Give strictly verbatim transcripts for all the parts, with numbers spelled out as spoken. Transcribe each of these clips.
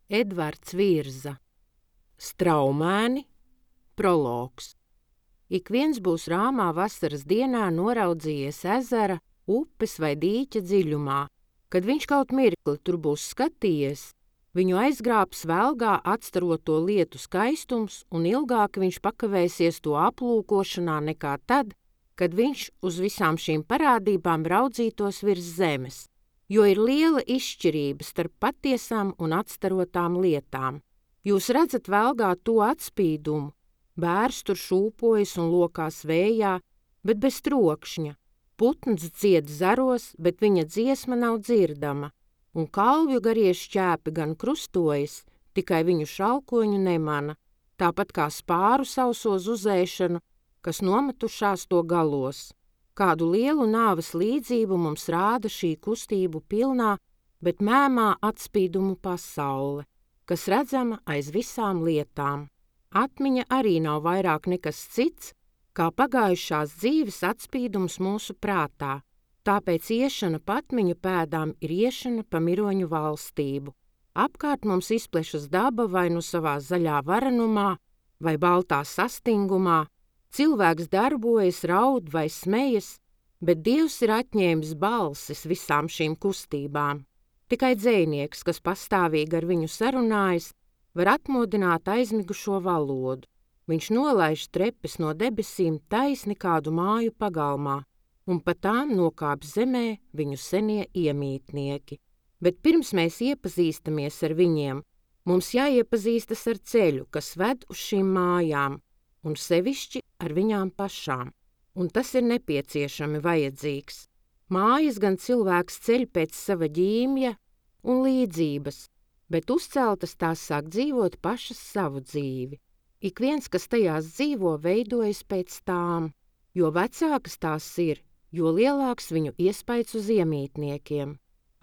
Edvards Virza. Straumēni, prologs. Ik viens būs rāmā vasaras dienā noraudzījies ezera, upes vai dīķa dziļumā. Kad viņš kaut mirkli tur būs skatījies, viņu aizgrābs velgā atstaroto lietu skaistums, un ilgāk viņš pakavēsies to aplūkošanā nekā tad, kad viņš uz visām šīm parādībām raudzītos virs zemes, jo ir liela izšķirība starp patiesām un atstarotām lietām. Jūs redzat velgā to atspīdumu, bērs tur šūpojas un lokās vējā, bet bez trokšņa, putns dzied zaros, bet viņa dziesma nav dzirdama, un kalvju garie šķēpi gan krustojas, tikai viņu šalkoņu nemana, tāpat kā spāru sauso zuzēšanu, kas nometušās to galos. Kādu lielu nāves līdzību mums rāda šī kustību pilnā, bet mēmā atspīdumu pasaule, kas redzama aiz visām lietām. Atmiņa arī nav vairāk nekas cits, kā pagājušās dzīves atspīdums mūsu prātā, tāpēc iešana pa atmiņu pēdām ir iešana pa miroņu valstību. Apkārt mums izplešas daba vai nu savā zaļā varenumā, vai baltā sastingumā, cilvēks darbojas, raud vai smejas, bet Dievs ir atņēmis balsis visām šīm kustībām. Tikai dzejnieks, kas pastāvīgi ar viņu sarunājas, var atmodināt aizmigušo valodu. Viņš nolaiž trepes no debesīm taisni kādu māju pagalmā, un pa tām nokāp zemē viņu senie iemītnieki. Bet pirms mēs iepazīstamies ar viņiem, mums jāiepazīstas ar ceļu, kas ved uz šīm mājām, un sevišķi ar viņām pašām, un tas ir nepieciešami vajadzīgs. Mājas gan cilvēks ceļ pēc sava ģīmja un līdzības, bet uzceltas tās sāk dzīvot pašas savu dzīvi. Ik viens, kas tajās dzīvo, veidojas pēc tām, jo vecākas tās ir, jo lielāks viņu iespaids uz iemītniekiem.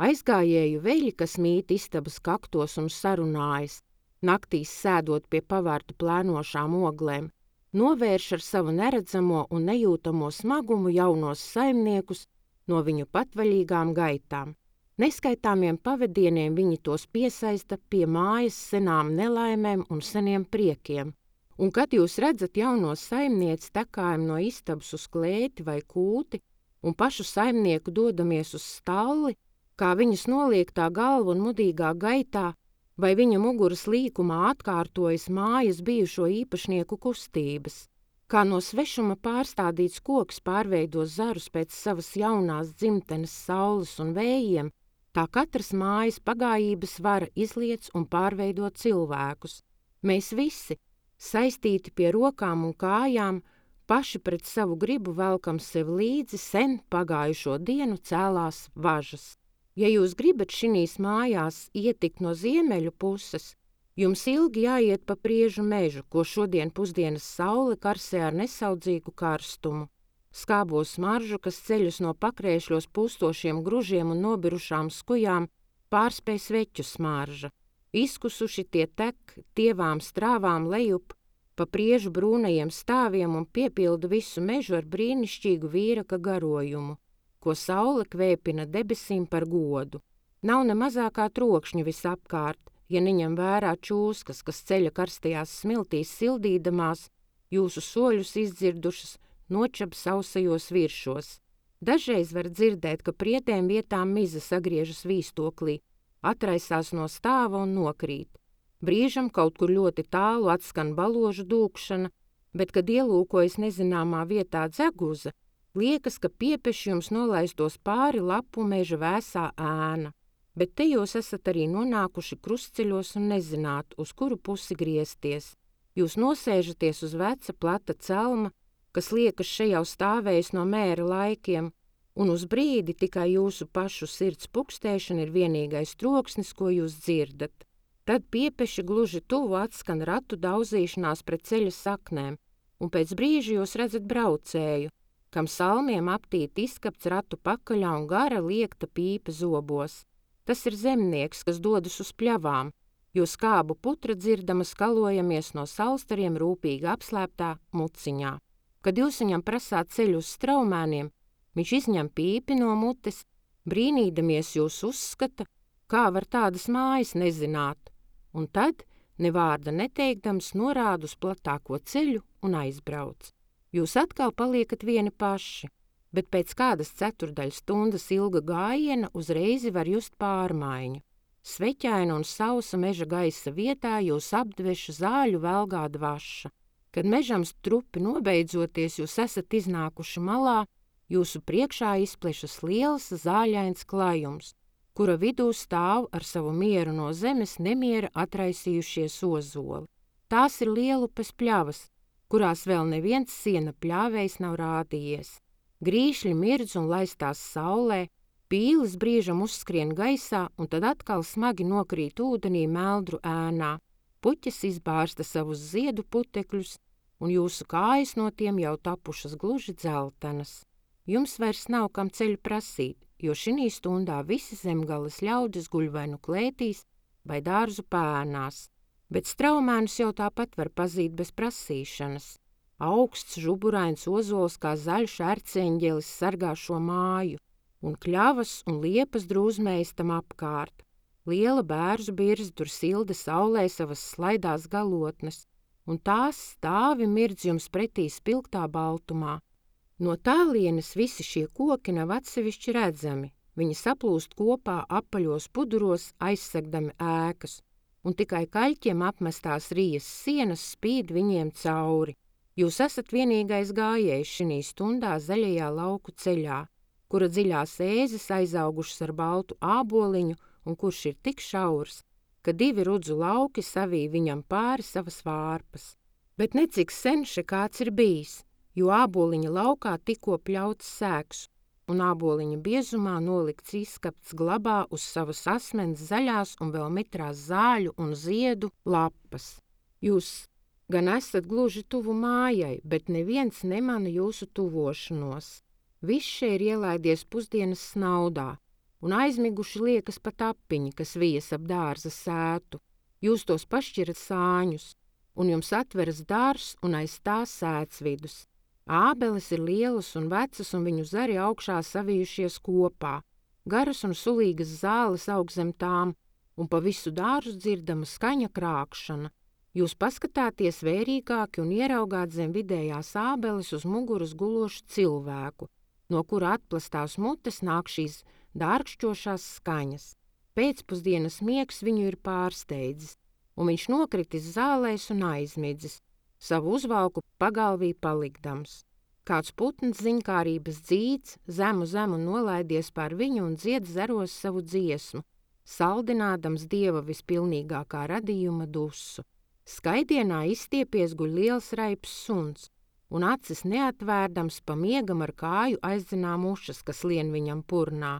Aizgājēju veļi, kas mīt istabas kaktos un sarunājas, naktīs sēdot pie pavārta plēnošām oglēm, novērš ar savu neredzamo un nejūtamo smagumu jaunos saimniekus no viņu patvaļīgām gaitām. Neskaitāmiem pavadieniem viņi tos piesaista pie mājas senām nelaimēm un seniem priekiem. Un kad jūs redzat jauno saimnieci tekājam no istabas uz klēti vai kūti un pašu saimnieku dodamies uz stalli, kā viņas noliektā galva un mudīgā gaitā, vai viņa muguras līkumā atkārtojas mājas bijušo īpašnieku kustības, kā no svešuma pārstādīts koks pārveido zarus pēc savas jaunās dzimtenes saules un vējiem, tā katras mājas pagājības vara izliec un pārveido cilvēkus. Mēs visi, saistīti pie rokām un kājām, paši pret savu gribu velkam sev līdzi sen pagājušo dienu cēlās važas. Ja jūs gribat šinīs mājās ietikt no ziemeļu puses, jums ilgi jāiet pa priežu mežu, ko šodien pusdienas saule karsē ar nesaudzīgu karstumu. Skābo smaržu, kas ceļus no pakrēšļos pūstošiem gružiem un nobirušām skujām, pārspēj sveķu smarža. Izkusuši tie tek tievām strāvām lejup, pa priežu brūnajiem stāviem un piepilda visu mežu ar brīnišķīgu vīraka garojumu, ko saule kvēpina debesīm par godu. Nav ne mazākā trokšņa visapkārt, ja neņem vērā čūskas, kas ceļa karstajās smiltīs sildīdamās, jūsu soļus izdzirdušas nočab sausajos viršos. Dažreiz var dzirdēt, ka prietēm vietām miza sagriežas vīstoklī, atraisās no stāva un nokrīt. Brīžam kaut kur ļoti tālu atskan baložu dūkšana, bet, kad ielūkojas nezināmā vietā dzeguza, liekas, ka piepeši jums nolaistos pāri lapu meža vēsā ēna. Bet te jūs esat arī nonākuši krustceļos un nezināt, uz kuru pusi griezties. Jūs nosēžaties uz veca plata celma, kas liekas šeit jau stāvējis no mēra laikiem, un uz brīdi tikai jūsu pašu sirds pukstēšana ir vienīgais troksnis, ko jūs dzirdat. Tad piepeši gluži tuvu atskan ratu daudzīšanās pret ceļa saknēm, un pēc brīža jūs redzat braucēju, kam salmiem aptīt izskapts ratu pakaļā un gara liekta pīpe zobos. Tas ir zemnieks, kas dodas uz pļavām, jo skābu putra dzirdama skalojamies no saulstariem rūpīgi apslēptā muciņā. Kad jūs viņam prasāt ceļu uz straumēniem, viņš izņem pīpi no mutes, brīnīdamies jūs uzskata, kā var tādas mājas nezināt, un tad, ne vārda neteikdams, norāda uz platāko ceļu un aizbrauc. Jūs atkal paliekat vieni paši, bet pēc kādas ceturdaļas stundas ilga gājiena uzreiz var just pārmaiņu. Sveķaina un sausa meža gaisa vietā jūs apdveša zāļu velgā dvaša. Kad mežam strupi nobeidzoties, jūs esat iznākuši malā, jūsu priekšā izplešas liels zāļains klajums, kura vidū stāv ar savu mieru no zemes nemiera atraisījušies ozoli. Tās ir lielupes pļavas, kurās vēl neviens siena pļāvējs nav rādījies. Grīšļi mirdz un laistās saulē, pīles brīžam uzskrien gaisā un tad atkal smagi nokrīt ūdenī meldru ēnā. Puķes izbārsta savus ziedu putekļus, un jūsu kājas no tiem jau tapušas gluži dzeltenas. Jums vairs nav kam ceļu prasīt, jo šinī stundā visi zemgales ļaudis guļ vai nu klētīs vai dārzu pēnās, bet straumēnus jau tāpat var pazīt bez prasīšanas. Augsts, žuburains ozols kā zaļš erceņģelis sargā šo māju, un kļavas un liepas drūzmējas tam apkārt. Liela bērzu birze tur silda saulē savas slaidās galotnes, un tās stāvi mirdz jums pretī spilgtā baltumā. No tālienes visi šie koki nav atsevišķi redzami, viņi saplūst kopā apaļos puduros aizsegdami ēkas, un tikai kaļķiem apmestās rijas sienas spīd viņiem cauri. Jūs esat vienīgais gājējs šinī stundā zaļajā lauku ceļā, kura dziļās ēzes aizaugušas ar baltu āboliņu un kurš ir tik šaurs, ka divi rudzu lauki savī viņam pāri savas vārpas. Bet necik sen še kāds ir bijis, jo āboliņa laukā tikko pļauts sēks, un āboliņa biezumā nolikts izskapts glabā uz savas asmens zaļās un vēl mitrās zāļu un ziedu lapas. Jūs gan esat gluži tuvu mājai, bet neviens nemana jūsu tuvošanos. Viss šeit ir ielaidies pusdienas snaudā, un aizmiguši liekas pat apiņi, kas vijas ap dārza sētu. Jūs tos pašķirat sāņus, un jums atveras dārs un aiz tā sēts vidus. Ābeles ir lielas un vecas, un viņu zari augšā savijušies kopā. Garas un sulīgas zāles aug zem tām, un pa visu dārzu dzirdama skaņa krākšana. Jūs paskatāties vērīgāki un ieraugāt zem vidējās ābeles uz muguras gulošu cilvēku, no kura atplastās mutes nāk šīs dārkšķošās skaņas. Pēcpusdienas miegs viņu ir pārsteidzis, un viņš nokritis zālēs un aizmidzis, savu uzvalku pagalvī palikdams. Kāds putns ziņkārības dzīts, zemu zemu nolaidies pār viņu un dzied zaros savu dziesmu, saldinādams dieva vispilnīgākā radījuma dusu. Skaidienā izstiepies guļ liels raips suns, un acis neatvērdams pa miegam ar kāju aizdzinām ušas, kas lien viņam purnā.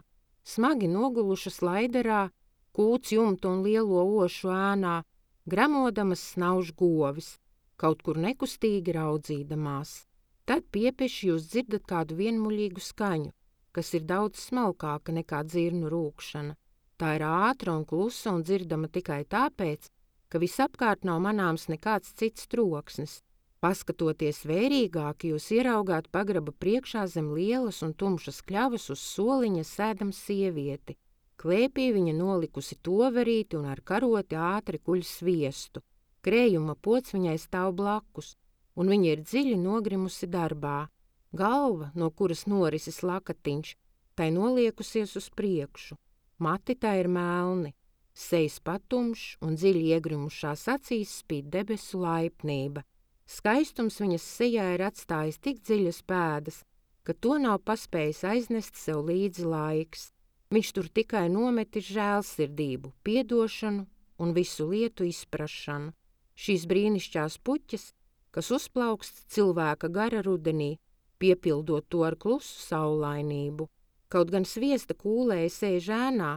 Smagi nogulušas laiderā, kūts jumtu un lielo ošu ēnā, gramodamas snauž govis, kaut kur nekustīgi raudzīdamās. Tad piepeši jūs dzirdat kādu vienmuļīgu skaņu, kas ir daudz smalkāka nekā dzirnu rūkšana. Tā ir ātra un klusa un dzirdama tikai tāpēc, ka visapkārt nav manāms nekāds cits troksnis. Paskatoties vērīgāk, jūs ieraugāt pagraba priekšā zem lielas un tumšas kļavas uz soliņa sēdam sievieti. Klēpī viņa nolikusi toverīti un ar karoti ātri kuļ sviestu. Krējuma pods viņai stāv blakus, un viņa ir dziļi nogrimusi darbā. Galva, no kuras norisis lakatiņš, tai noliekusies uz priekšu. Mati tai ir melni. Sejas patumšs un dziļi iegrimušās acīs spīd debesu laipnība. Skaistums viņas sejā ir atstājis tik dziļas pēdas, ka to nav paspējis aiznest sev līdzi laiks. Viņš tur tikai nometis žēlsirdību, piedošanu un visu lietu izprašanu. Šīs brīnišķās puķes, kas uzplaukst cilvēka gara rudenī, piepildot to ar klusu saulainību. Kaut gan sviesta kūlēja sēž ēnā,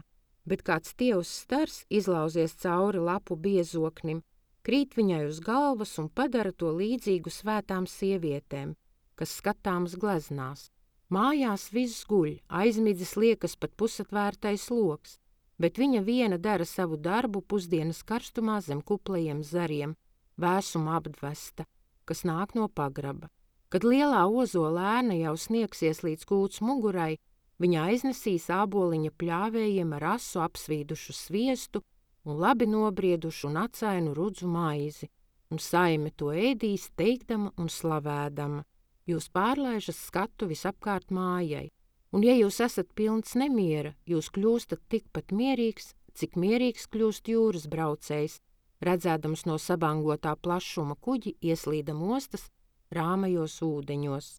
bet kāds tievs stars izlauzies cauri lapu biezoknim, krīt viņai uz galvas un padara to līdzīgu svētām sievietēm, kas skatāmas gleznās. Mājās viss guļ, aizmidzis liekas pat pusatvērtais loks, bet viņa viena dara savu darbu pusdienas karstumā zem kuplajiem zariem, vēsuma apdvesta, kas nāk no pagraba. Kad lielā ozola ēna jau sniegsies līdz kūts mugurai, viņa aiznesīs āboliņa pļāvējiem ar asu apsvīdušu sviestu un labi nobriedušu un acainu rudzu maizi, un saime to ēdīs teikdama un slavēdama. Jūs pārlaižat skatu visapkārt mājai, un ja jūs esat pilns nemiera, jūs kļūstat tikpat mierīgs, cik mierīgs kļūst jūras braucējs, redzēdams no sabangotā plašuma kuģi ieslīdam ostas rāmajos ūdeņos.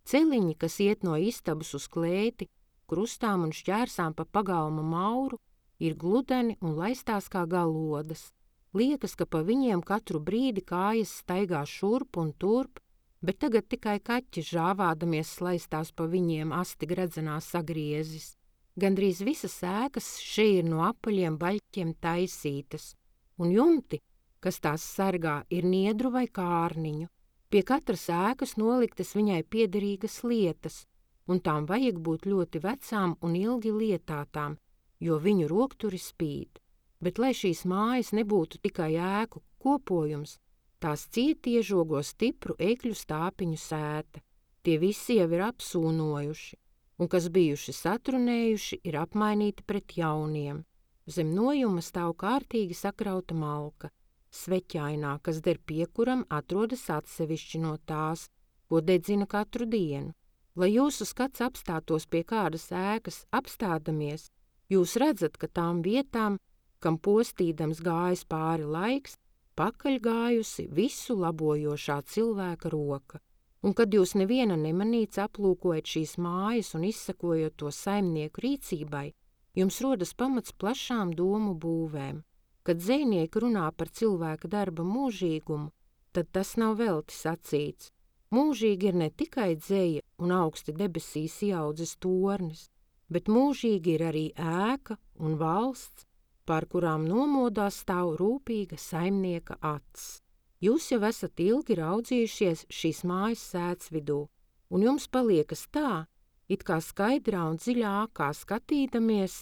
Celiņi, kas iet no istabas uz klēti, krustām un šķērsām pa pagalma mauru, ir gludeni un laistās kā galodas. Liekas, ka pa viņiem katru brīdi kājas staigā šurp un turp, bet tagad tikai kaķi žāvādamies slaistās pa viņiem asti gredzenā sagriezis. Gandrīz visas ēkas šeit ir no apaļiem baļķiem taisītas, un jumti, kas tās sargā, ir niedru vai kārniņu. Pie katras ēkas noliktas viņai piederīgas lietas, un tām vajag būt ļoti vecām un ilgi lietātām, jo viņu rokturi spīd. Bet, lai šīs mājas nebūtu tikai ēku kopojums, tās cieti iežogo stipru ekļu stāpiņu sēta. Tie visi jau ir apsūnojuši, un kas bijuši satrunējuši, ir apmainīti pret jauniem. Zem nojuma stāv kārtīgi sakrauta malka. Sveķainā, kas der piekuram, atrodas atsevišķi no tās, ko dedzina katru dienu. Lai jūsu skats apstātos pie kādas ēkas apstādamies, jūs redzat, ka tām vietām, kam postīdams gājis pāri laiks, pakaļ gājusi visu labojošā cilvēka roka. Un kad jūs neviena nemanīts aplūkojat šīs mājas un izsakojot to saimnieku rīcībai, jums rodas pamats plašām domu būvēm. Kad dzejnieki runā par cilvēka darba mūžīgumu, tad tas nav velti sacīts. Mūžīgi ir ne tikai dzeja un augsti debesīs ieaudzis tornis, bet mūžīgi ir arī ēka un valsts, pār kurām nomodā stāv rūpīga saimnieka acs. Jūs jau esat ilgi raudzījušies šīs mājas sēts vidū, un jums paliekas tā, it kā skaidrā un dziļā ākā skatīdamies,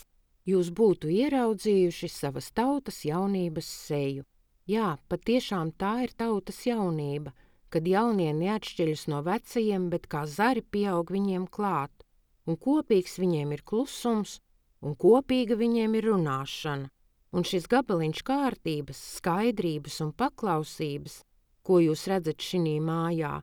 jūs būtu ieraudzījuši savas tautas jaunības seju. Jā, patiešām tā ir tautas jaunība, kad jaunie neatšķiļas no vecajiem, bet kā zari pieaug viņiem klāt, un kopīgs viņiem ir klusums, un kopīga viņiem ir runāšana. Un šis gabaliņš kārtības, skaidrības un paklausības, ko jūs redzat šinī mājā,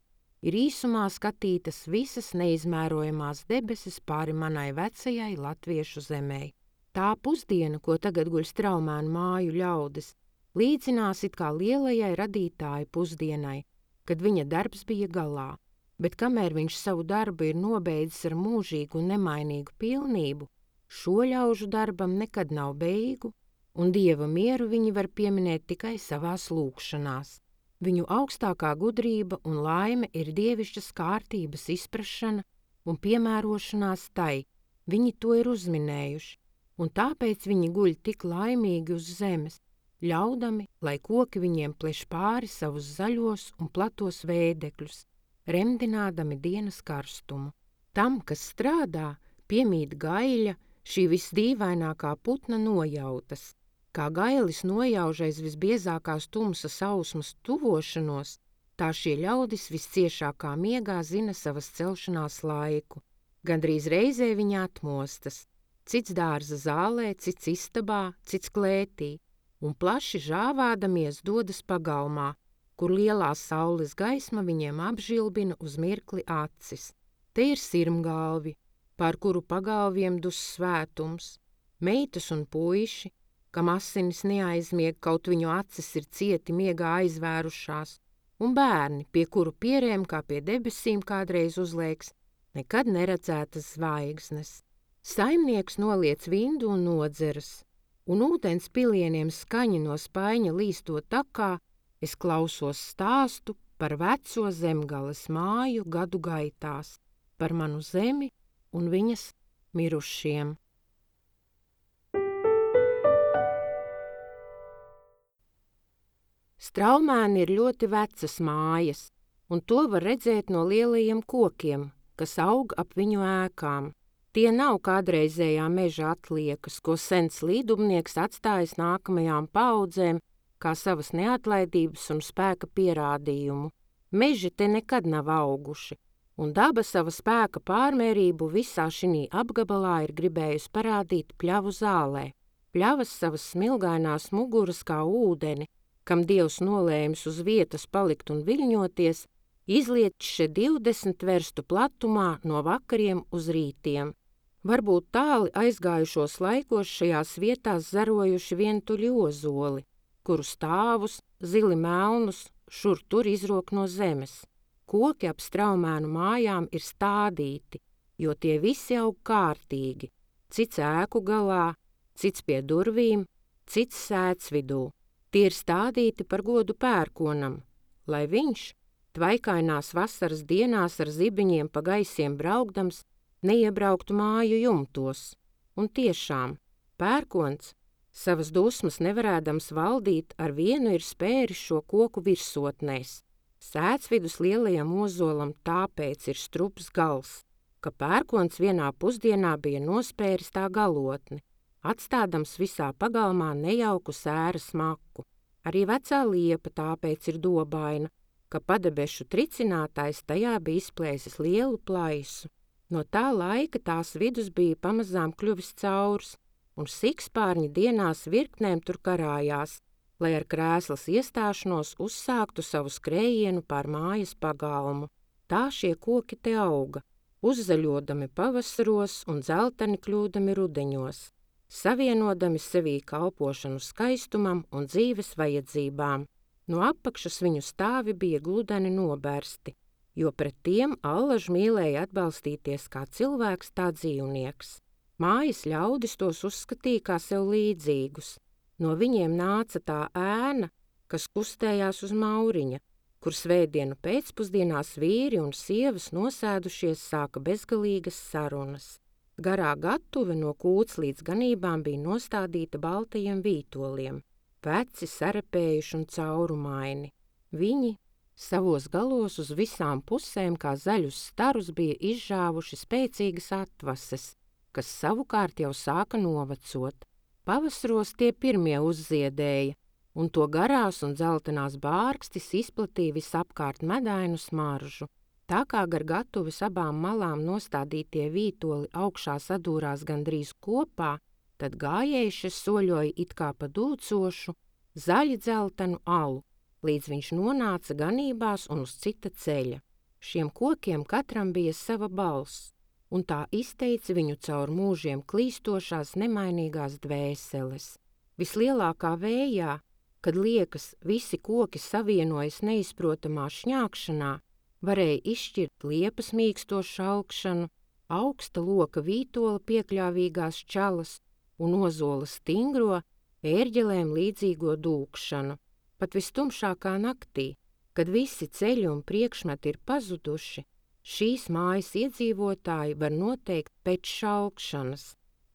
ir īsumā skatītas visas neizmērojamās debesis pāri manai vecajai latviešu zemei. Tā pusdiena, ko tagad guļ Straumēnu māju ļaudis, līdzinās it kā lielajai radītāja pusdienai, kad viņa darbs bija galā, bet kamēr viņš savu darbu ir nobeidzis ar mūžīgu un nemainīgu pilnību, šo ļaužu darbam nekad nav beigu, un Dieva mieru viņi var pieminēt tikai savās lūgšanās. Viņu augstākā gudrība un laime ir dievišķas kārtības izprašana un piemērošanās tai, viņi to ir uzminējuši, un tāpēc viņi guļ tik laimīgi uz zemes, ļaudami, lai koki viņiem pleš pāri savus zaļos un platos vēdekļus, remdinādami dienas karstumu. Tam, kas strādā, piemīt gaiļa, šī visdīvainākā putna nojautas. Kā gailis nojaužais visbiezākās tumsas ausmas tuvošanos, tā šie ļaudis visciešākā miegā zina savas celšanās laiku. Gandrīz reizē viņi atmostas, cits dārza zālē, cits istabā, cits klētī, un plaši žāvādamies dodas pagalmā, kur lielā saules gaisma viņiem apžilbina uz mirkli acis. Te ir sirmgalvi, pār kuru pagalviem dus svētums, meitas un puiši, kam asinis neaizmieg, kaut viņu acis ir cieti miegā aizvērušās, un bērni, pie kuru pierēm kā pie debesīm kādreiz uzliekas nekad neredzētas zvaigznes. Saimnieks noliec vindu un nodzeras, un ūdens pilieniem skaņi no spaiņa līstot takā, es klausos stāstu par veco zemgales māju gadu gaitās, par manu zemi un viņas mirušiem. Straumēni ir ļoti vecas mājas, un to var redzēt no lielajiem kokiem, kas aug ap viņu ēkām. Tie nav kādreizējā meža atliekas, ko sens līdumnieks atstājis nākamajām paaudzēm kā savas neatlaidības un spēka pierādījumu. Meži te nekad nav auguši, un daba sava spēka pārmērību visā šinī apgabalā ir gribējusi parādīt pļavu zālē. Pļavas savas smilgainās muguras kā ūdeni, kam Dievs nolēmis uz vietas palikt un viļņoties, izliet še divdesmit verstu platumā no vakariem uz rītiem. Varbūt tāli aizgājušos laikos šajās vietās zarojuši vientuļi ozoli, kuru stāvus, zili melnus, šur tur izrok no zemes. Koki ap Straumēnu mājām ir stādīti, jo tie visi aug kārtīgi, cits ēku galā, cits pie durvīm, cits sēts vidū. Tie ir stādīti par godu pērkonam, lai viņš, tvaikainās vasaras dienās ar zibiņiem pa gaisiem braukdams, neiebrauktu māju jumtos. Un tiešām, pērkons, savas dusmas nevarēdams valdīt, ar vienu ir spēris šo koku virsotnēs. Sētsvidus lielajam ozolam tāpēc ir strups gals, ka pērkons vienā pusdienā bija nospēris tā galotni, atstādams visā pagalmā nejauku sēras maku. Arī vecā liepa tāpēc ir dobaina, ka padebešu tricinātājs tajā bija izplēsis lielu plaisu. No tā laika tās vidus bija pamazām kļuvis caurs, un sikspārņi dienās virknēm tur karājās, lai ar krēslas iestāšanos uzsāktu savu skrējienu pār mājas pagalmu. Tā šie koki te auga, uzzaļodami pavasaros un dzelteni kļūdami rudeņos, savienodami sevī kalpošanu skaistumam un dzīves vajadzībām. No apakšas viņu stāvi bija gludeni nobērsti, jo pret tiem allaž mīlēja atbalstīties kā cilvēks, tā dzīvnieks. Mājas ļaudis tos uzskatīja kā sev līdzīgus. No viņiem nāca tā ēna, kas kustējās uz mauriņa, kur svētdienu pēcpusdienās vīri un sievas nosēdušies sāka bezgalīgas sarunas. Garā gatuve no kūts līdz ganībām bija nostādīta baltajiem vītoliem, veci, sarepējuši un caurumaini. Viņi savos galos uz visām pusēm kā zaļus starus bija izžāvuši spēcīgas atvases, kas savukārt jau sāka novecot. Pavasaros tie pirmie uzziedēja, un to garās un dzeltenās bārkstis izplatīja visapkārt medainu smaržu. Tā kā gar gatuves abām malām nostādītie vītoli augšā sadūrās gandrīz kopā, tad gājējuši soļoja it kā pa dūcošu, zaļi dzeltenu alu, līdz viņš nonāca ganībās un uz cita ceļa. Šiem kokiem katram bija sava balss, un tā izteica viņu caur mūžiem klīstošās nemainīgās dvēseles. Vislielākā vējā, kad liekas visi koki savienojas neizprotamā šņākšanā, varēja izšķirt liepas mīksto šalkšanu, augsta loka vītola piekļāvīgās čalas un ozola stingro, ērģelēm līdzīgo dūkšanu. Pat vistumšākā naktī, kad visi ceļi un priekšmeti ir pazuduši, šīs mājas iedzīvotāji var noteikt pēc šalkšanas,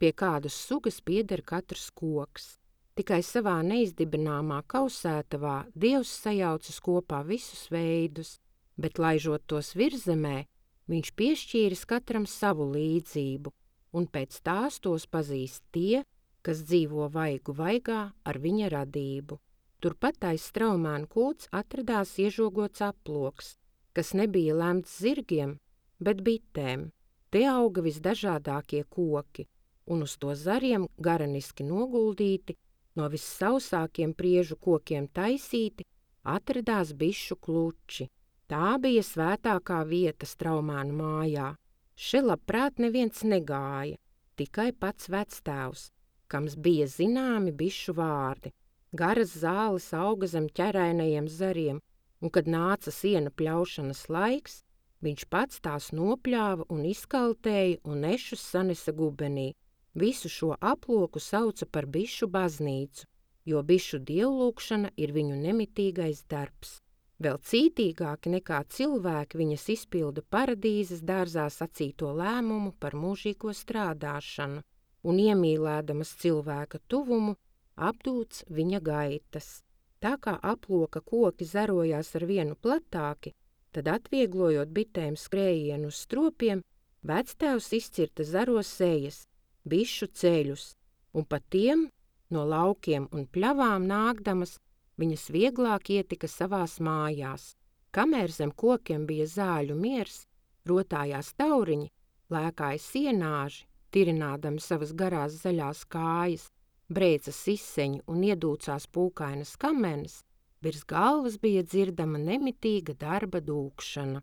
pie kādas sugas pieder katrs koks. Tikai savā neizdibināmā kausētavā Dievs sajaucis kopā visus veidus, bet laižot tos virzemē, viņš piešķīris katram savu līdzību, un pēc tās tos pazīst tie, kas dzīvo vaigu vaigā ar viņa radību. Turpat aiz Straumēnu kūts atradās iežogots aploks, kas nebija lemts zirgiem, bet bitēm. Te auga visdažādākie koki, un uz to zariem garaniski noguldīti, no vissausākiem priežu kokiem taisīti, atradās bišu kluči. Tā bija svētākā vieta Straumēnu mājā. Še labprāt neviens negāja, tikai pats vectēvs, kams bija zināmi bišu vārdi. Garas zāles auga zem ķerainajiem zariem, un kad nāca siena pļaušanas laiks, viņš pats tās nopļāva un izkaltēja un ešus sanesa gubenī. Visu šo aploku sauca par bišu baznīcu, jo bišu dievlūkšana ir viņu nemitīgais darbs. Vēl cītīgāki nekā cilvēki viņas izpilda paradīzes dārzā sacīto lēmumu par mūžīgo strādāšanu, un iemīlēdamas cilvēka tuvumu, apdūts viņa gaitas. Tā kā aploka koki zarojās ar vienu platāki, tad atvieglojot bitēm skrējienu uz stropiem, vectēvs izcirta zaros sejas, bišu ceļus, un pa tiem, no laukiem un pļavām nākdamas, viņas vieglāk ietika savās mājās. Kamēr zem kokiem bija zāļu miers, rotājās tauriņi, lēkāja sienāži, tirinādami savas garās zaļās kājas, brēca siseņu un iedūcās pūkainas kamenes, virs galvas bija dzirdama nemitīga darba dūkšana.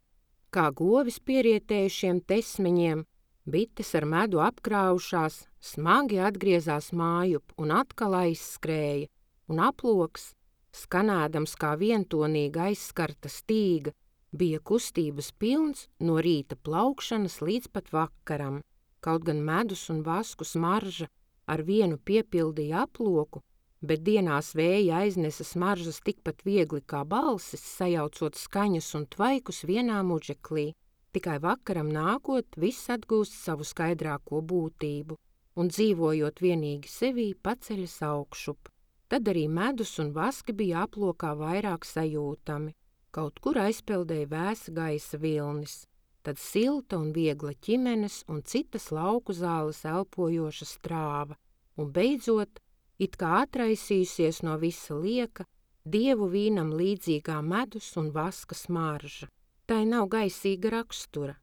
Kā govis pierietējušiem tesmeņiem, bites ar medu apkrāvušās, smagi atgriezās mājup un atkal aizskrēja, un aploks, skanēdams kā vientonīga aizskarta stīga, bija kustības pilns no rīta plaukšanas līdz pat vakaram. Kaut gan medus un vasku smarža ar vienu piepildīja aploku, bet dienās vēja aiznesa smaržas tikpat viegli kā balsis, sajaucot skaņas un tvaikus vienā muģeklī. Tikai vakaram nākot, viss atgūst savu skaidrāko būtību, un dzīvojot vienīgi sevī paceļas augšup. Tad arī medus un vaski bija aplokā vairāk sajūtami. Kaut kur aizpeldēja vēsa gaisa vilnis, tad silta un viegla ķimenes un citas lauku zāles elpojoša strāva, un beidzot, it kā atraisījusies no visa lieka, dievu vīnam līdzīgā medus un vaska smarža. Tai nav gaisīga rakstura,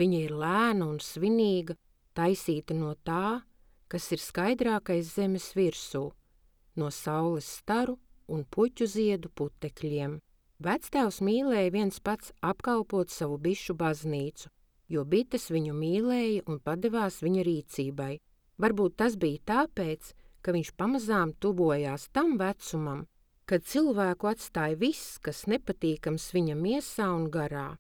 viņa ir lēna un svinīga, taisīta no tā, kas ir skaidrākais zemes virsū, no saules staru un puķu ziedu putekļiem. Vectēvs mīlēja viens pats apkalpot savu bišu baznīcu, jo bites viņu mīlēja un padevās viņa rīcībai. Varbūt tas bija tāpēc, ka viņš pamazām tuvojās tam vecumam, kad cilvēku atstāja viss, kas nepatīkams viņa miesā un garā.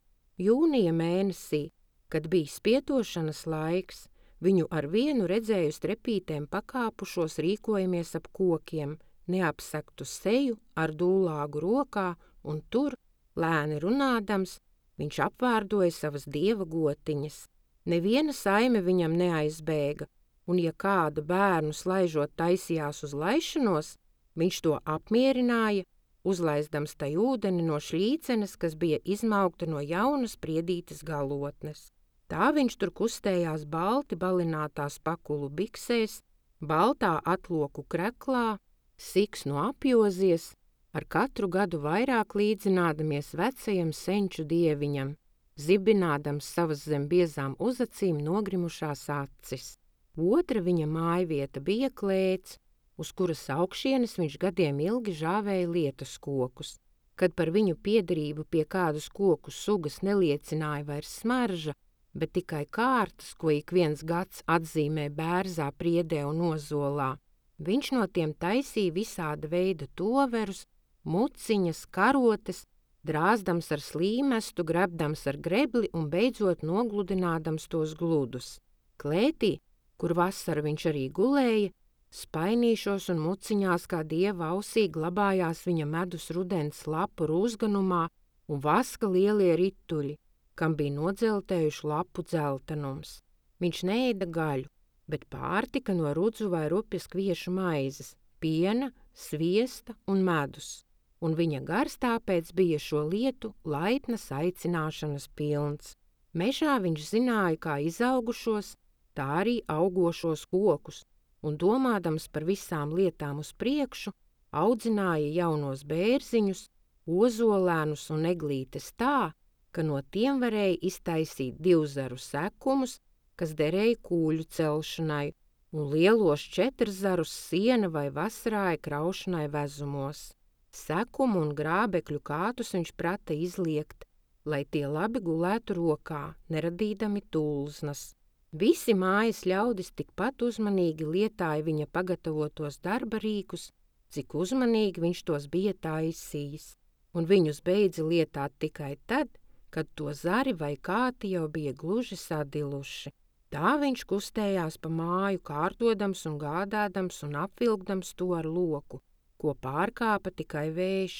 Jūnija mēnesī, kad bija spietošanas laiks, viņu ar vienu redzēju strepītēm pakāpušos rīkojamies ap kokiem, neapsektu seju ar dūlāgu rokā, un tur, lēni runādams, viņš apvārdoja savas dieva gotiņas. Neviena saime viņam neaizbēga, un ja kādu bērnu slaižot taisījās uz laišanos, viņš to apmierināja, uzlaizdams tai ūdeni no šļīcenes, kas bija izmaukta no jaunas priedītes galotnes. Tā viņš tur kustējās balti balinātās pakulu biksēs, baltā atloku kreklā, siksnu apjozies, ar katru gadu vairāk līdzinādamies vecajam senču dieviņam, zibinādams savas zem biezām uzacīm nogrimušās acis. Otra viņa mājvieta bija klēts, uz kuras augšienes viņš gadiem ilgi žāvēja lietus kokus. Kad par viņu piederību pie kādas koku sugas neliecināja vairs smarža, bet tikai kārtas, ko ik viens gads atzīmē bērzā, priedē un ozolā, viņš no tiem taisīja visāda veida toverus, muciņas, karotes, drāzdams ar slīmestu, grebdams ar grebli un beidzot nogludinādams tos gludus. Klētī, kur vasara viņš arī gulēja, spainīšos un muciņās kā dieva ausī glabājās viņa medus rudens lapu rūzganumā un vaska lielie rituļi, kam bija nodzeltējuši lapu dzeltenums. Viņš neēda gaļu, bet pārtika no rudzu vai rupjas kviešu maizes, piena, sviesta un medus, un viņa gars tāpēc bija šo lietu laipnas aicināšanas pilns. Mežā viņš zināja kā izaugušos, tā arī augošos kokus, un domādams par visām lietām uz priekšu, audzināja jaunos bērziņus, ozolēnus un eglītes tā, ka no tiem varēja iztaisīt divzaru sekumus, kas derēja kūļu celšanai, un lielos četrzarus siena vai vasarāja kraušanai vezumos. Sekumu un grābekļu kātus viņš prata izliekt, lai tie labi gulētu rokā, neradīdami tulznas. Visi mājas ļaudis tikpat uzmanīgi lietāja viņa pagatavotos darba rīkus, cik uzmanīgi viņš tos bija taisījis, un viņus beidza lietāt tikai tad, kad to zari vai kāti jau bija gluži sadiluši. Tā viņš kustējās pa māju, kārtodams un gādādams un apvilkdams to ar loku, ko pārkāpa tikai vējš,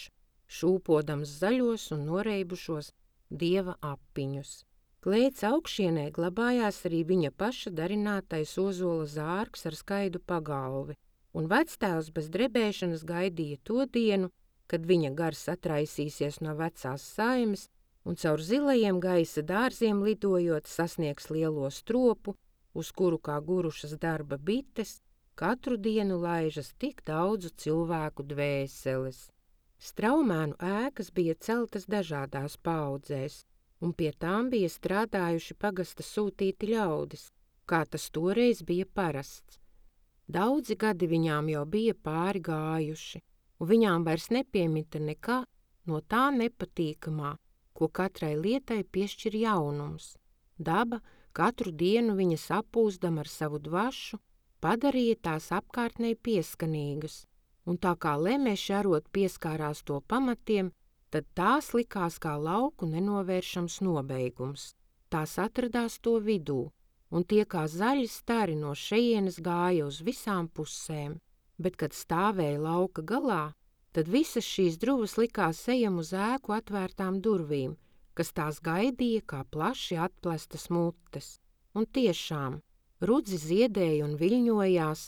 šūpodams zaļos un noreibušos dieva apiņus. Klēts augšienē glabājās arī viņa paša darinātais ozola zārks ar skaidu pagalvi, un vectēvs bez drebēšanas gaidīja to dienu, kad viņa gars atraisīsies no vecās saimes un caur zilajiem gaisa dārziem lidojot sasniegs lielo stropu, uz kuru kā gurušas darba bites, katru dienu laižas tik daudzu cilvēku dvēseles. Straumēnu ēkas bija celtas dažādās paaudzēs, un pie tām bija strādājuši pagasta sūtīti ļaudis, kā tas toreiz bija parasts. Daudzi gadi viņām jau bija pāri gājuši, un viņām vairs nepiemita nekā no tā nepatīkamā, ko katrai lietai piešķir jaunums. Daba katru dienu viņas apūzdam ar savu dvašu, padarīja tās apkārtnei pieskanīgas, un tā kā lemeši arot pieskārās to pamatiem, tad tās likās kā lauku nenovēršams nobeigums. Tās atradās to vidū, un tie kā zaļi stari no šejienes gāja uz visām pusēm, bet, kad stāvēja lauka galā, tad visas šīs druvas likās ejam uz ēku atvērtām durvīm, kas tās gaidīja kā plaši atplestas mutes. Un tiešām, rudzi ziedēja un viļņojās,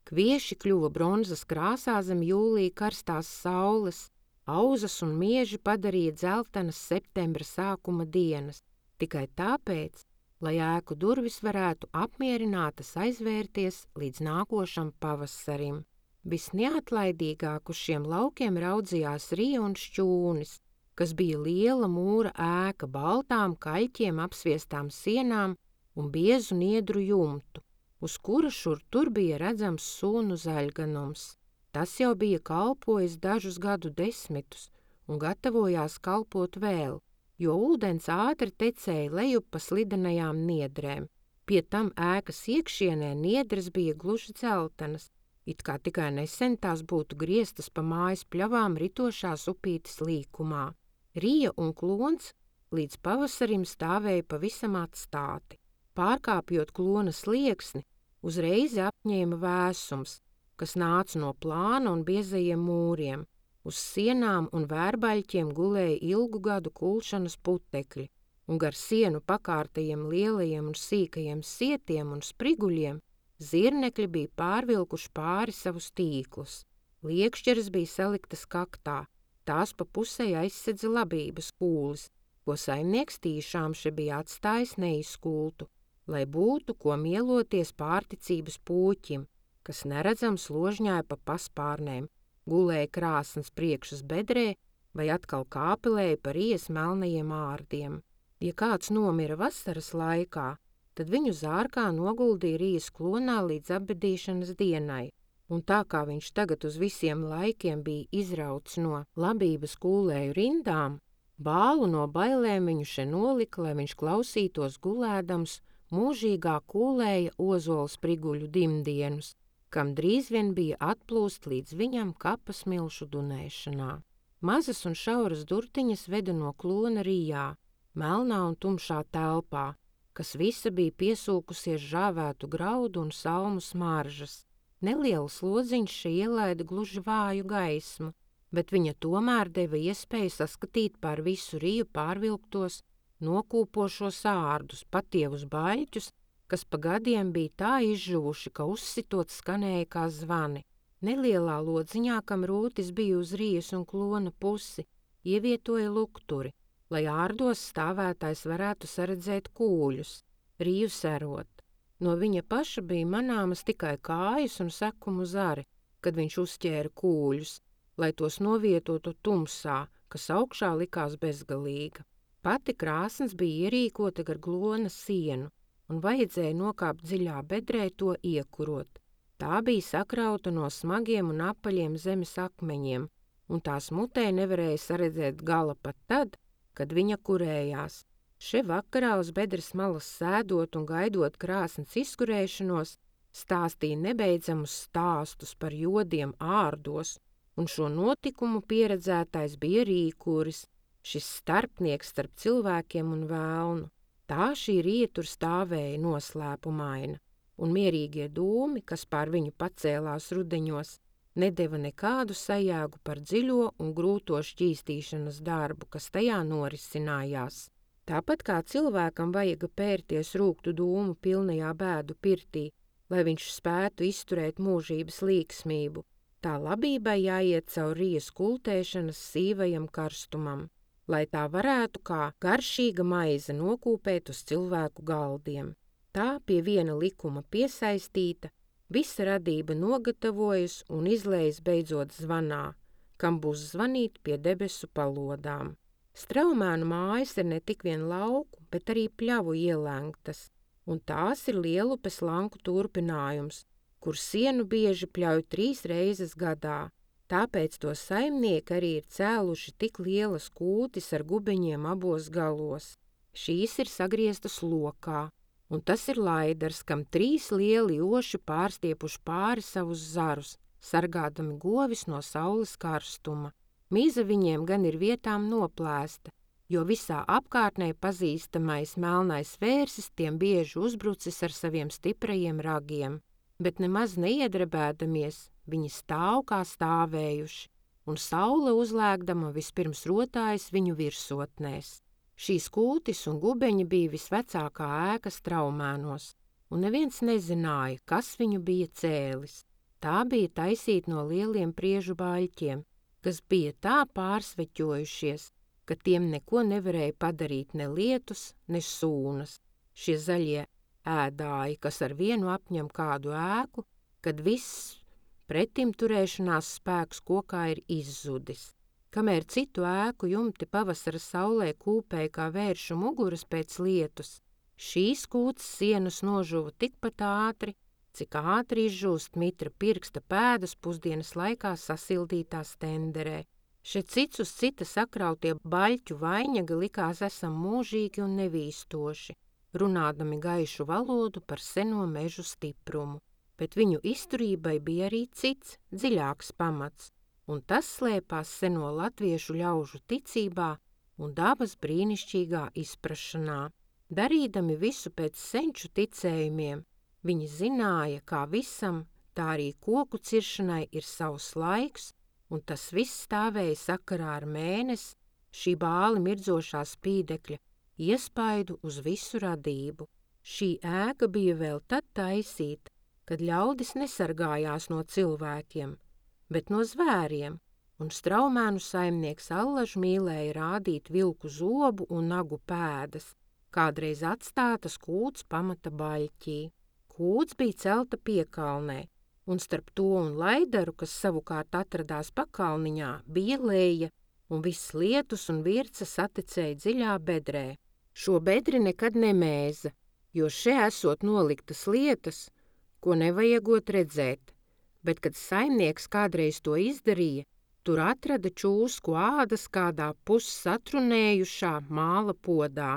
kvieši kļuva bronzas krāsā zem jūlija karstās saules, auzas un mieži padarīja dzeltenas septembra sākuma dienas, tikai tāpēc, lai ēku durvis varētu apmierinātas aizvērties līdz nākošam pavasarim. Visneatlaidīgāk uz šiem laukiem raudzījās Rija un Šķūnis, kas bija liela mūra ēka baltām kaļķiem apsviestām sienām un biezu niedru jumtu, uz kura šur tur bija redzams sunu zaļganums. Tas jau bija kalpojis dažus gadu desmitus un gatavojās kalpot vēl, jo ūdens ātri tecēja lejup pa slidenajām niedrēm. Pie tam ēkas iekšienē niedres bija gluži dzeltenas, it kā tikai nesen tās būtu grieztas pa mājas pļavām ritošās upītes līkumā. Rija un Klons līdz pavasarim stāvēja pavisam atstāti. Pārkāpjot Klona slieksni, uzreiz apņēma vēsums, kas nāca no plāna un biezajiem mūriem. Uz sienām un vērbaļķiem gulēja ilgu gadu kulšanas putekļi, un gar sienu pakārtajiem lielajiem un sīkajiem sietiem un spriguļiem zirnekļi bija pārvilkuši pāri savus tīklus. Liekšķeres bija saliktas kaktā, tās pa pusei aizsedza labības kūlis, ko saimnieks tīšām še bija atstājis neizkultu, lai būtu, ko mieloties pārticības pūķim, kas neredzams ložņāja pa paspārnēm, gulēja krāsns priekšas bedrē vai atkal kāpelēja par Rijas melnajiem ārdiem. Ja kāds nomira vasaras laikā, tad viņu zārkā noguldīja Rijas klonā līdz apbedīšanas dienai, un tā kā viņš tagad uz visiem laikiem bija izrauts no labības kūlēju rindām, bālu no bailēm viņu še nolika, lai viņš klausītos gulēdams mūžīgā kūlēja ozola spriguļu dimdienus, kam drīz vien bija atplūst līdz viņam kapa smilšu dunēšanā. Mazas un šauras durtiņas veda no klona Rijā, melnā un tumšā telpā, kas visa bija piesūkusies žāvētu graudu un salmu smaržas. Neliels lodziņš še ielaida gluži vāju gaismu, bet viņa tomēr deva iespēju saskatīt pār visu Riju pārvilktos, nokūpošos ārdus, patievus baļķus, kas pa gadiem bija tā izžuvuši, ka uzsitot skanēja kā zvani. Nelielā lodziņā, kam rūtis bija uz Rijas un Klona pusi, ievietoja lukturi, lai ārdos stāvētājs varētu saredzēt kūļus, Riju serot. No viņa paša bija manāmas tikai kājas un sekumu zari, kad viņš uzķēra kūļus, lai tos novietotu tumsā, kas augšā likās bezgalīga. Pati krāsns bija ierīkota gar glona sienu, un vajadzēja nokāpt dziļā bedrē to iekurot. Tā bija sakrauta no smagiem un apaļiem zemes akmeņiem, un tās mutē nevarēja saredzēt gala pat tad, kad viņa kurējās. Še vakarā uz bedres malas sēdot un gaidot krāsns izkurēšanos, stāstīja nebeidzamus stāstus par jodiem ārdos, un šo notikumu pieredzētais bija Rīkuris, šis starpnieks starp cilvēkiem un vēlnu. Tā šī Rija tur stāvēja noslēpumaina, un mierīgie dūmi, kas pār viņu pacēlās rudeņos, nedeva nekādu sajēgu par dziļo un grūto šķīstīšanas darbu, kas tajā norisinājās. Tāpat kā cilvēkam vajaga pērties rūgtu dūmu pilnajā bēdu pirtī, lai viņš spētu izturēt mūžības līksmību, tā labībai jāiet caur Rijas kultēšanas sīvajam karstumam, lai tā varētu kā garšīga maize nokūpēt uz cilvēku galdiem. Tā pie viena likuma piesaistīta, visa radība nogatavojas un izlējas beidzot zvanā, kam būs zvanīt pie debesu palodām. Straumēnu mājas ir ne tik vien lauku, bet arī pļavu ielēngtas, un tās ir Lielupes lanku turpinājums, kur sienu bieži pļauj trīs reizes gadā. Tāpēc to saimnieki arī ir cēluši tik lielas kūtis ar gubeņiem abos galos. Šīs ir sagrieztas lokā, un tas ir laidars, kam trīs lieli oši pārstiepuši pāri savus zarus, sargādami govis no saules karstuma. Mīza viņiem gan ir vietām noplēsta, jo visā apkārtnē pazīstamais melnais vērsis tiem bieži uzbrucis ar saviem stiprajiem ragiem, bet nemaz neiedrebēdamies, viņi stāv kā stāvējuši, un saule uzlēgdama vispirms rotājas viņu virsotnēs. Šīs kūtis un gubeņi bija visvecākā ēka Straumēnos, un neviens nezināja, kas viņu bija cēlis. Tā bija taisīta no lieliem priežu baļķiem, kas bija tā pārsveķojušies, ka tiem neko nevarēja padarīt ne lietus, ne sūnas. Šie zaļie ēdāji, kas ar vienu apņem kādu ēku, kad viss pretim turēšanās spēks kokā ir izzudis. Kamēr citu ēku jumti pavasara saulē kūpēja kā vēršu muguras pēc lietus, šīs kūts sienas nožuva tikpat ātri, cik ātri izžūst mitra pirksta pēdas pusdienas laikā sasildītā stenderē. Šie cits uz cita sakrautie baļķu vainaga likās esam mūžīgi un nevīstoši, runādami gaišu valodu par seno mežu stiprumu, bet viņu izturībai bija arī cits, dziļāks pamats, un tas slēpās seno latviešu ļaužu ticībā un dabas brīnišķīgā izprašanā. Darīdami visu pēc senču ticējumiem, viņi zināja, kā visam, tā arī koku ciršanai ir savs laiks, un tas viss stāvēja sakarā ar mēnesi, šī bāli mirdzošā spīdekļa, iespaidu uz visu radību. Šī ēka bija vēl tad taisīta, kad ļaudis nesargājās no cilvēkiem, bet no zvēriem, un Straumēnu saimnieks allaž mīlēja rādīt vilku zobu un nagu pēdas, kādreiz atstātas kūts pamata baļķī. Kūts bija celta piekalnē, un starp to un laidaru, kas savukārt atradās pakalniņā, bija leja, un viss lietus un virca saticēja dziļā bedrē. Šo bedri nekad nemēza, jo še esot noliktas lietas, ko nevajagot redzēt, bet, kad saimnieks kādreiz to izdarīja, tur atrada čūsku ādas kādā pussatrunējušā māla podā.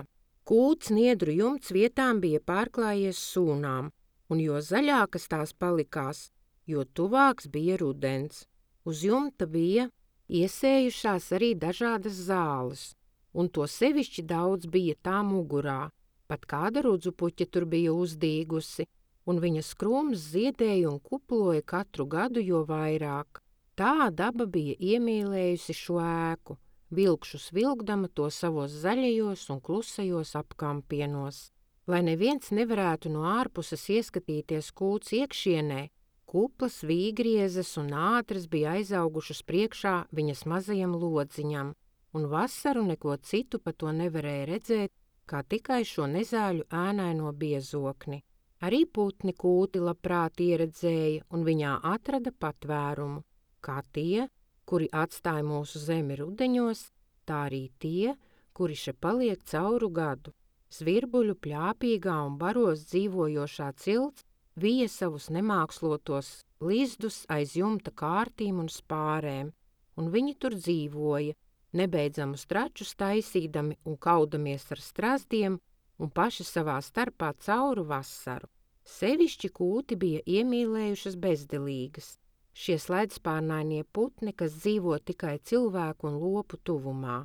Kūts niedru jumts vietām bija pārklājies sūnām, un jo zaļākas tās palikās, jo tuvāks bija rudens. Uz jumta bija iesējušās arī dažādas zāles, un to sevišķi daudz bija tā mugurā, pat kāda rudzupuķa tur bija uzdīgusi, un viņas krūms ziedēja un kuploja katru gadu jo vairāk. Tā daba bija iemīlējusi šo ēku, vilkšus vilkdama to savos zaļajos un klusajos apkampienos. Lai neviens nevarētu no ārpuses ieskatīties kūts iekšienē, kuplas, vīgriezes un ātras bija aizaugušas priekšā viņas mazajam lodziņam, un vasaru neko citu pa to nevarēja redzēt, kā tikai šo nezāļu ēnaino biezokni. Arī putni kūti labprāt ieredzēja un viņā atrada patvērumu, kā tie, kuri atstāja mūsu zemi rudeņos, tā arī tie, kuri še paliek cauru gadu. Zvirbuļu pļāpīgā un baros dzīvojošā cilts vija savus nemākslotos lizdus aiz jumta kārtīm un spārēm, un viņi tur dzīvoja, nebeidzamus tračus taisīdami un kaudamies ar strazdiem un paši savā starpā cauru vasaru. Sevišķi kūti bija iemīlējušas bezdelīgas, šie slaidspārnainie putni, kas dzīvo tikai cilvēku un lopu tuvumā.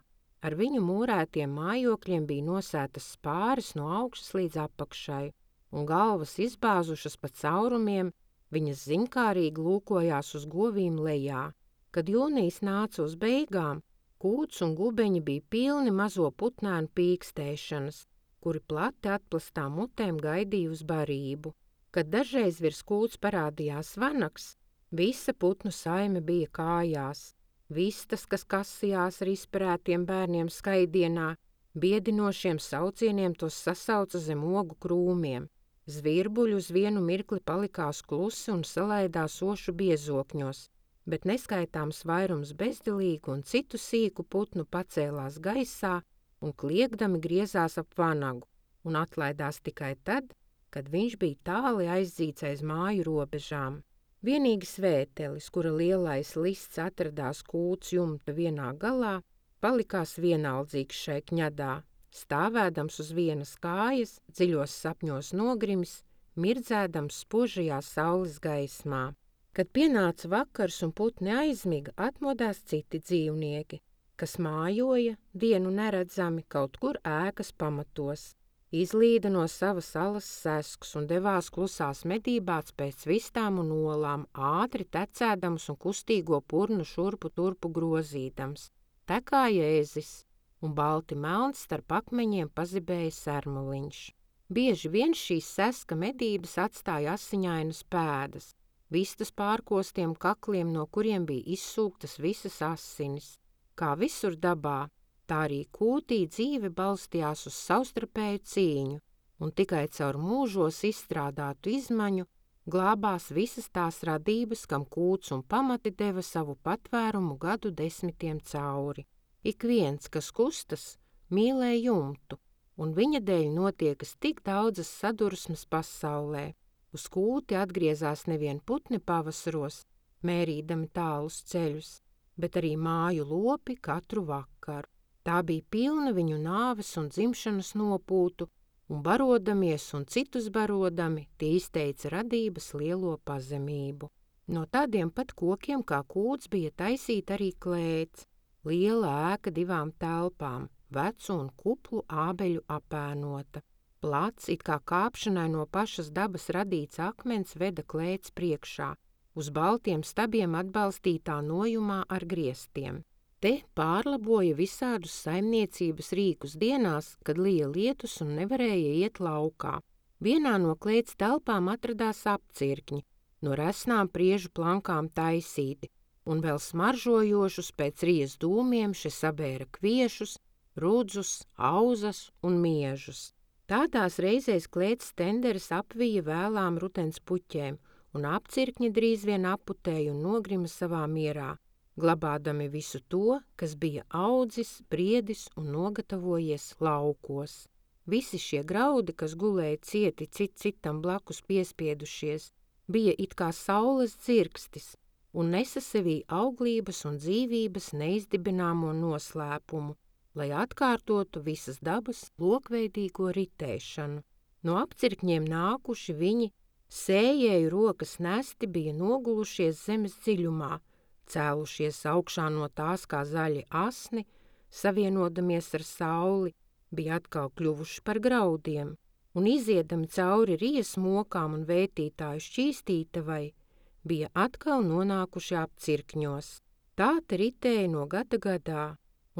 Ar viņu mūrētiem mājokļiem bija nosētas spāris no augšas līdz apakšai, un galvas izbāzušas pa caurumiem, viņas ziņkārīgi lūkojās uz govīm lejā. Kad jūnijas nāca uz beigām, kūts un gubeņi bija pilni mazo putnēnu pīkstēšanas, kuri plati atplastām mutēm gaidīja uz barību. Kad dažreiz virs kūts parādījās vanags, visa putnu saime bija kājās. Vistas, kas kasījās ar izperētiem bērniem skaidienā, biedinošiem saucieniem tos sasauca zem ogu krūmiem. Zvirbuļi uz vienu mirkli palikās klusi un salaidās ošu biezokņos, bet neskaitāms vairums bezdelīgu un citu sīku putnu pacēlās gaisā un kliegdami griezās ap vanagu un atlaidās tikai tad, kad viņš bija tāli aizdzīts aiz māju robežām. Vienīgi svētelis, kura lielais lists atradās kūts jumta vienā galā, palikās vienaldzīgs šai kņadā, stāvēdams uz vienas kājas, dziļos sapņos nogrimis, mirdzēdams spožajā saules gaismā. Kad pienāca vakars un putni aizmiga, atmodās citi dzīvnieki, kas mājoja, dienu neredzami, kaut kur ēkas pamatos, izlīda no savas alas seskus un devās klusās medībās pēc vistām un olām, ātri tecēdams un kustīgo purnu šurpu turpu grozīdams. Tekā jēzis, un balti melns starp akmeņiem pazibēja sermuliņš. Bieži vien šīs seska medības atstāja asiņainas pēdas, vistas pārkostiem kakliem, no kuriem bija izsūktas visas asinis. Kā visur dabā, tā arī kūtī dzīve balstījās uz savstarpēju cīņu, un tikai caur mūžos izstrādātu izmaņu glābās visas tās radības, kam kūts un pamati deva savu patvērumu gadu desmitiem cauri. Ik viens, kas kustas, mīlē jumtu, un viņa dēļ notiekas tik daudzas sadursmes pasaulē. Uz kūti atgriezās nevien putni pavasaros, mērīdami tālus ceļus, bet arī māju lopi katru vakaru. Tā bija pilna viņu nāves un dzimšanas nopūtu, un barodamies un citus barodami, tie izteica radības lielo pazemību. No tādiem pat kokiem kā kūts bija taisīta arī klēts, liela ēka divām telpām, vecu un kuplu ābeļu apēnota. Plats, it kā kāpšanai no pašas dabas radīts akmens, veda klēts priekšā, uz baltiem stabiem atbalstītā nojumā ar griestiem. Te pārlaboja visādus saimniecības rīkus dienās, kad lija lietus un nevarēja iet laukā. Vienā no klēts telpām atradās apcirkņi, no resnām priežu plankām taisīti, un vēl smaržojošus pēc rijas dūmiem še sabēra kviešus, rudzus, auzas un miežus. Tādās reizēs klēts tenderis apvija vēlām rudens puķēm, un apcirkņi drīz vien aputēja un nogrima savā mierā, glabādami visu to, kas bija audzis, briedis un nogatavojies laukos. Visi šie graudi, kas gulēja cieti cit citam blakus piespiedušies, bija it kā saules dzirkstis un nesa sevī auglības un dzīvības neizdibināmo noslēpumu, lai atkārtotu visas dabas lokveidīgo ritēšanu. No apcirkņiem nākuši viņi, sējēju rokas nesti, bija nogulušies zemes dziļumā, cēlušies augšā no tās kā zaļi asni, savienodamies ar sauli, bija atkal kļuvuši par graudiem, un iziedami cauri rijas mokām un vētītāju šķīstītavai, bija atkal nonākuši apcirkņos. Tā te ritēja no gada gadā,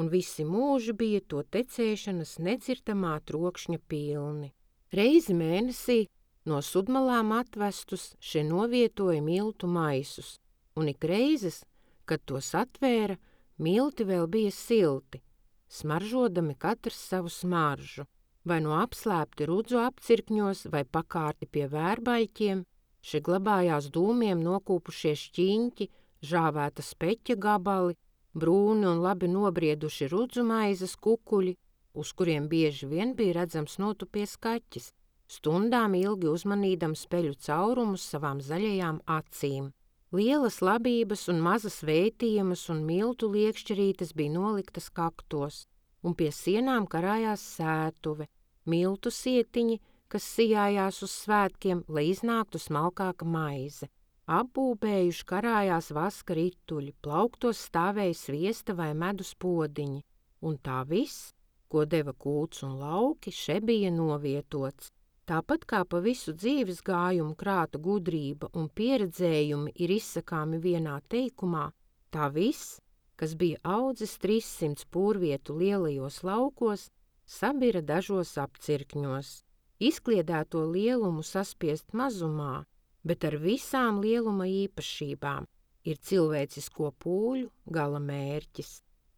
un visi mūži bija to tecēšanas nedzirdamā trokšņa pilni. Reizi mēnesī no sudmalām atvestus še novietoja miltu maisus, un ik reizes, kad tos atvēra, milti vēl bija silti, smaržodami katrs savu smaržu, vai no apslēpti rudzu apcirkņos, vai pakārti pie vērbaļķiem, še glabājās dūmiem nokūpušie šķiņķi, žāvēta speķa gabali, brūni un labi nobrieduši rudzu maizes kukuļi, uz kuriem bieži vien bija redzams notupies kaķis, stundām ilgi uzmanīdams peļu caurumus savām zaļajām acīm. Lielas labības un mazas vētījumas un miltu liekšķerītes bija noliktas kaktos, un pie sienām karājās sētuve, miltu sietiņi, kas sijājās uz svētkiem, lai iznāktu smalkāka maize. Apbūbējuši karājās vaska rituļi, plauktos stāvēja sviesta vai medus podiņi, un tā viss, ko deva kūts un lauki, še bija novietots. Tāpat kā pa visu dzīves gājumu krāta gudrība un pieredzējumi ir izsakāmi vienā teikumā, tā viss, kas bija audzis trīssimts pūrvietu lielajos laukos, sabira dažos apcirkņos. Izkliedēto lielumu saspiest mazumā, bet ar visām lieluma īpašībām ir cilvēcisko pūļu gala mērķis.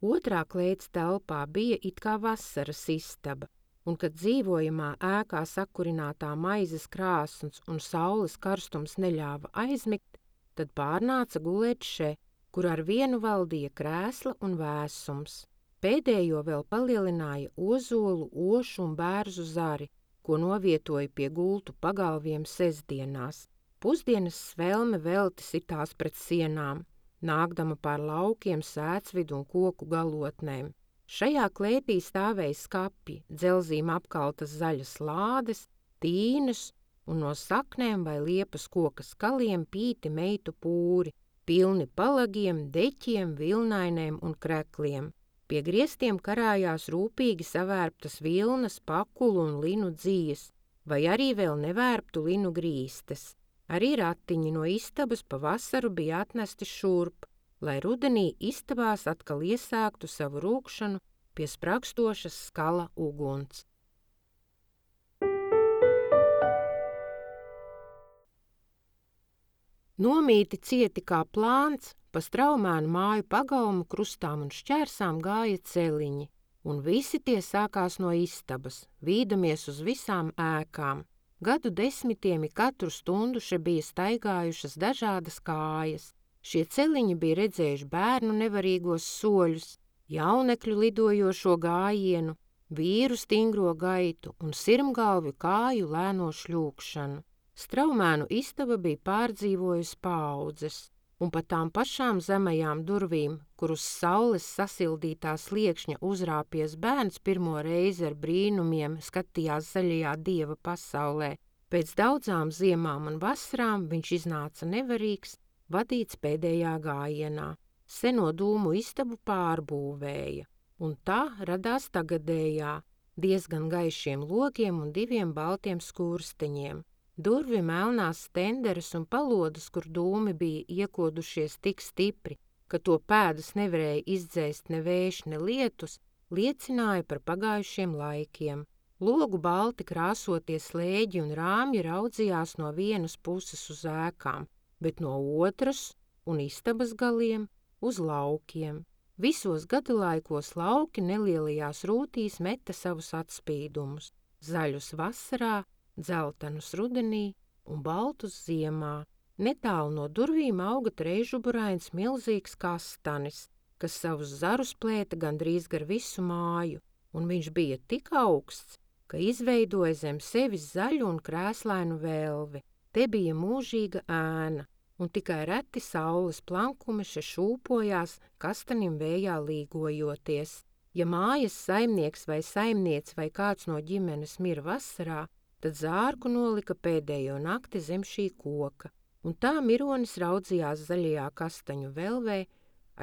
Otrā klēts telpā bija it kā vasaras istaba, un kad dzīvojamā ēkā sakurinātā maizes krāsns un saules karstums neļāva aizmigt, tad pārnāca gulēt še, kur ar vienu valdīja krēsla un vēsums. Pēdējo vēl palielināja ozolu, ošu un bērzu zari, ko novietoja pie gultu pagalviem sestdienās. Pusdienas svelme velti sitās pret sienām, nākdama pār laukiem, sēcvidu un koku galotnēm. Šajā klētī stāvēja skapji, dzelzīm apkaltas zaļas lādes, tīnas un no saknēm vai liepas koka skaliem pīti meitu pūri, pilni palagiem, deķiem, vilnainēm un krekliem. Pie griestiem karājās rūpīgi savērptas vilnas, pakulu un linu dzijas, vai arī vēl nevērptu linu grīstes. Arī ratiņi no istabas pa vasaru bija atnesti šurp, lai rudenī istabās atkal iesāktu savu rūkšanu pie spragstošas skala uguns. Nomīti cieti kā plāns, pa Straumēnu māju pagalmu krustām un šķērsām gāja celiņi, un visi tie sākās no istabas, vīdamies uz visām ēkām. Gadu desmitiem katru stundu še bija staigājušas dažādas kājas. Šie celiņi bija redzējuši bērnu nevarīgos soļus, jaunekļu lidojošo gājienu, vīru stingro gaitu un sirmgalvju kāju lēno šļūkšanu. Straumēnu istaba bija pārdzīvojusi paaudzes, un pa tām pašām zemajām durvīm, kur uz saules sasildītā sliekšņa uzrāpies bērns pirmo reizi ar brīnumiem skatījās zaļajā dieva pasaulē. Pēc daudzām ziemām un vasarām viņš iznāca nevarīgs, vadīts pēdējā gājienā. Seno dūmu istabu pārbūvēja, un tā radās tagadējā, diezgan gaišiem logiem un diviem baltiem skursteņiem. Durvi melnās stenderes un palodas, kur dūmi bija iekodušies tik stipri, ka to pēdas nevarēja izdzēst ne vējš, ne lietus, liecināja par pagājušiem laikiem. Logu balti krāsotie slēģi un rāmji raudzījās no vienas puses uz ēkām, bet no otras un istabas galiem uz laukiem. Visos gadalaikos lauki nelielajās rūtīs meta savus atspīdumus, zaļus vasarā, dzeltenus rudenī un baltus ziemā. Netālu no durvīm auga trežuburains milzīgs kastanis, kas savus zarus plēta gandrīz gar visu māju, un viņš bija tik augsts, ka izveidoja zem sevis zaļu un krēslainu velvi. Te bija mūžīga ēna, un tikai reti saules plankumi še šūpojās kastanim vējā līgojoties. Ja mājas saimnieks vai saimniec vai kāds no ģimenes mira vasarā, tad zārku nolika pēdējo nakti zem šī koka, un tā mironis raudzījās zaļajā kastaņu velvē,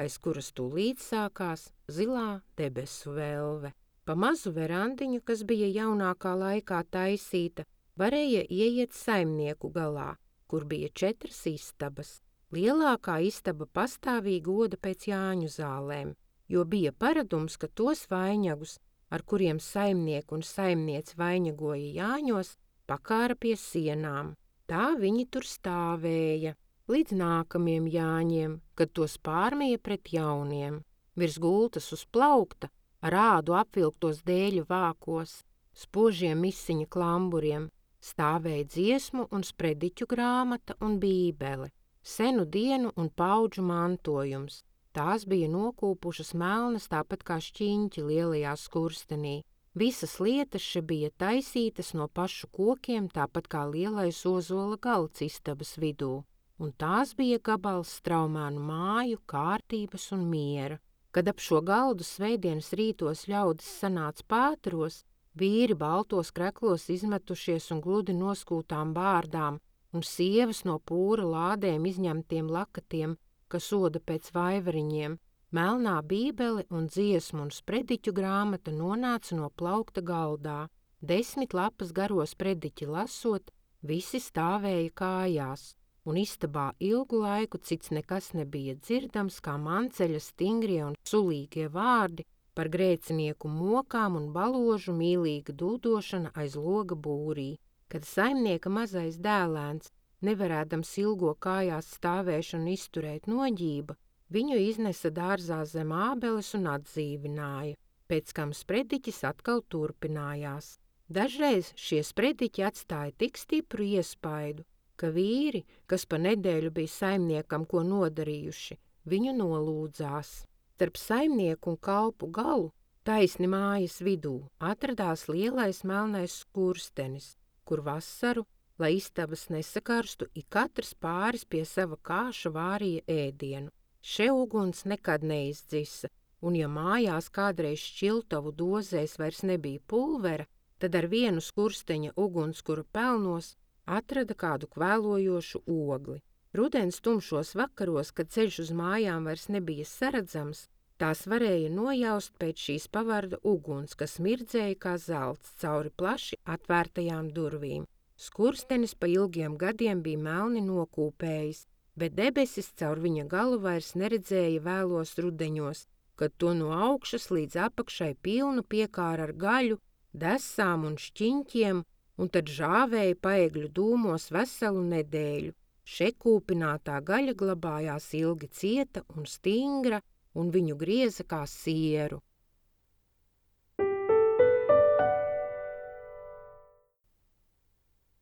aiz kuras tūlīt sākās zilā debesu velve. Pa mazu verandiņu, kas bija jaunākā laikā taisīta, varēja ieiet saimnieku galā, kur bija četras istabas. Lielākā istaba pastāvīgi goda pēc Jāņu zālēm, jo bija paradums, ka tos vainagus, ar kuriem saimnieku un saimniec vainagoja Jāņos, pakāra pie sienām. Tā viņi tur stāvēja, līdz nākamiem Jāņiem, kad tos pārmīja pret jauniem. Virs gultas uz plaukta, ar ādu apvilktos dēļu vākos, spožiem misiņa klamburiem, stāvēja dziesmu un sprediķu grāmata un bībele, senu dienu un paudžu mantojums. Tās bija nokūpušas melnas tāpat kā šķiņķi lielajā skurstenī. Visas lietas še bija taisītas no pašu kokiem, tāpat kā lielais ozola galds istabas vidū, un tās bija gabals Straumēnu māju, kārtības un miera. Kad ap šo galdu svētdienas rītos ļaudis sanāca pāteros, vīri baltos kreklos izmetušies un gludi noskūtām bārdām, un sievas no pūra lādēm izņemtiem lakatiem, kas oda pēc vaivariņiem, melnā bībele un dziesmu un sprediķu grāmata nonāca no plaukta galdā. Desmit lapas garo sprediķi lasot, visi stāvēja kājās, un istabā ilgu laiku cits nekas nebija dzirdams, kā manceļa stingrie un sulīgie vārdi par grēcinieku mokām un baložu mīlīga dūdošana aiz loga būrī. Kad saimnieka mazais dēlēns, nevarēdams ilgo kājās stāvēšanu izturēt noģība, viņu iznesa dārzā zem ābeles un atdzīvināja, pēc kam sprediķis atkal turpinājās. Dažreiz šie sprediķi atstāja tik stipru iespaidu, ka vīri, kas pa nedēļu bija saimniekam ko nodarījuši, viņu nolūdzās. Starp saimnieku un kalpu galu Taisni mājas vidū atradās lielais melnais skurstenis, kur vasaru, lai istabas nesakarstu, ik katrs pāris pie sava kāša vārīja ēdienu. Še uguns nekad neizdzisa, un ja mājās kādreiz šķiltavu dozēs vairs nebija pulvera, tad ar vienu skursteņa ugunskura pelnos atrada kādu kvēlojošu ogli. Rudens tumšos vakaros, kad ceļš uz mājām vairs nebija saredzams, tās varēja nojaust pēc šīs pavarda uguns, kas mirdzēja kā zelts cauri plaši atvērtajām durvīm. Skurstenis pa ilgiem gadiem bija melni nokūpējis, bet debesis caur viņa galu vairs neredzēja vēlos rudeņos, kad to no augšas līdz apakšai pilnu piekāra ar gaļu, desām un šķiņķiem, un tad žāvēja paegļu dūmos veselu nedēļu. Še kūpinātā gaļa glabājās ilgi cieta un stingra, un viņu grieza kā sieru.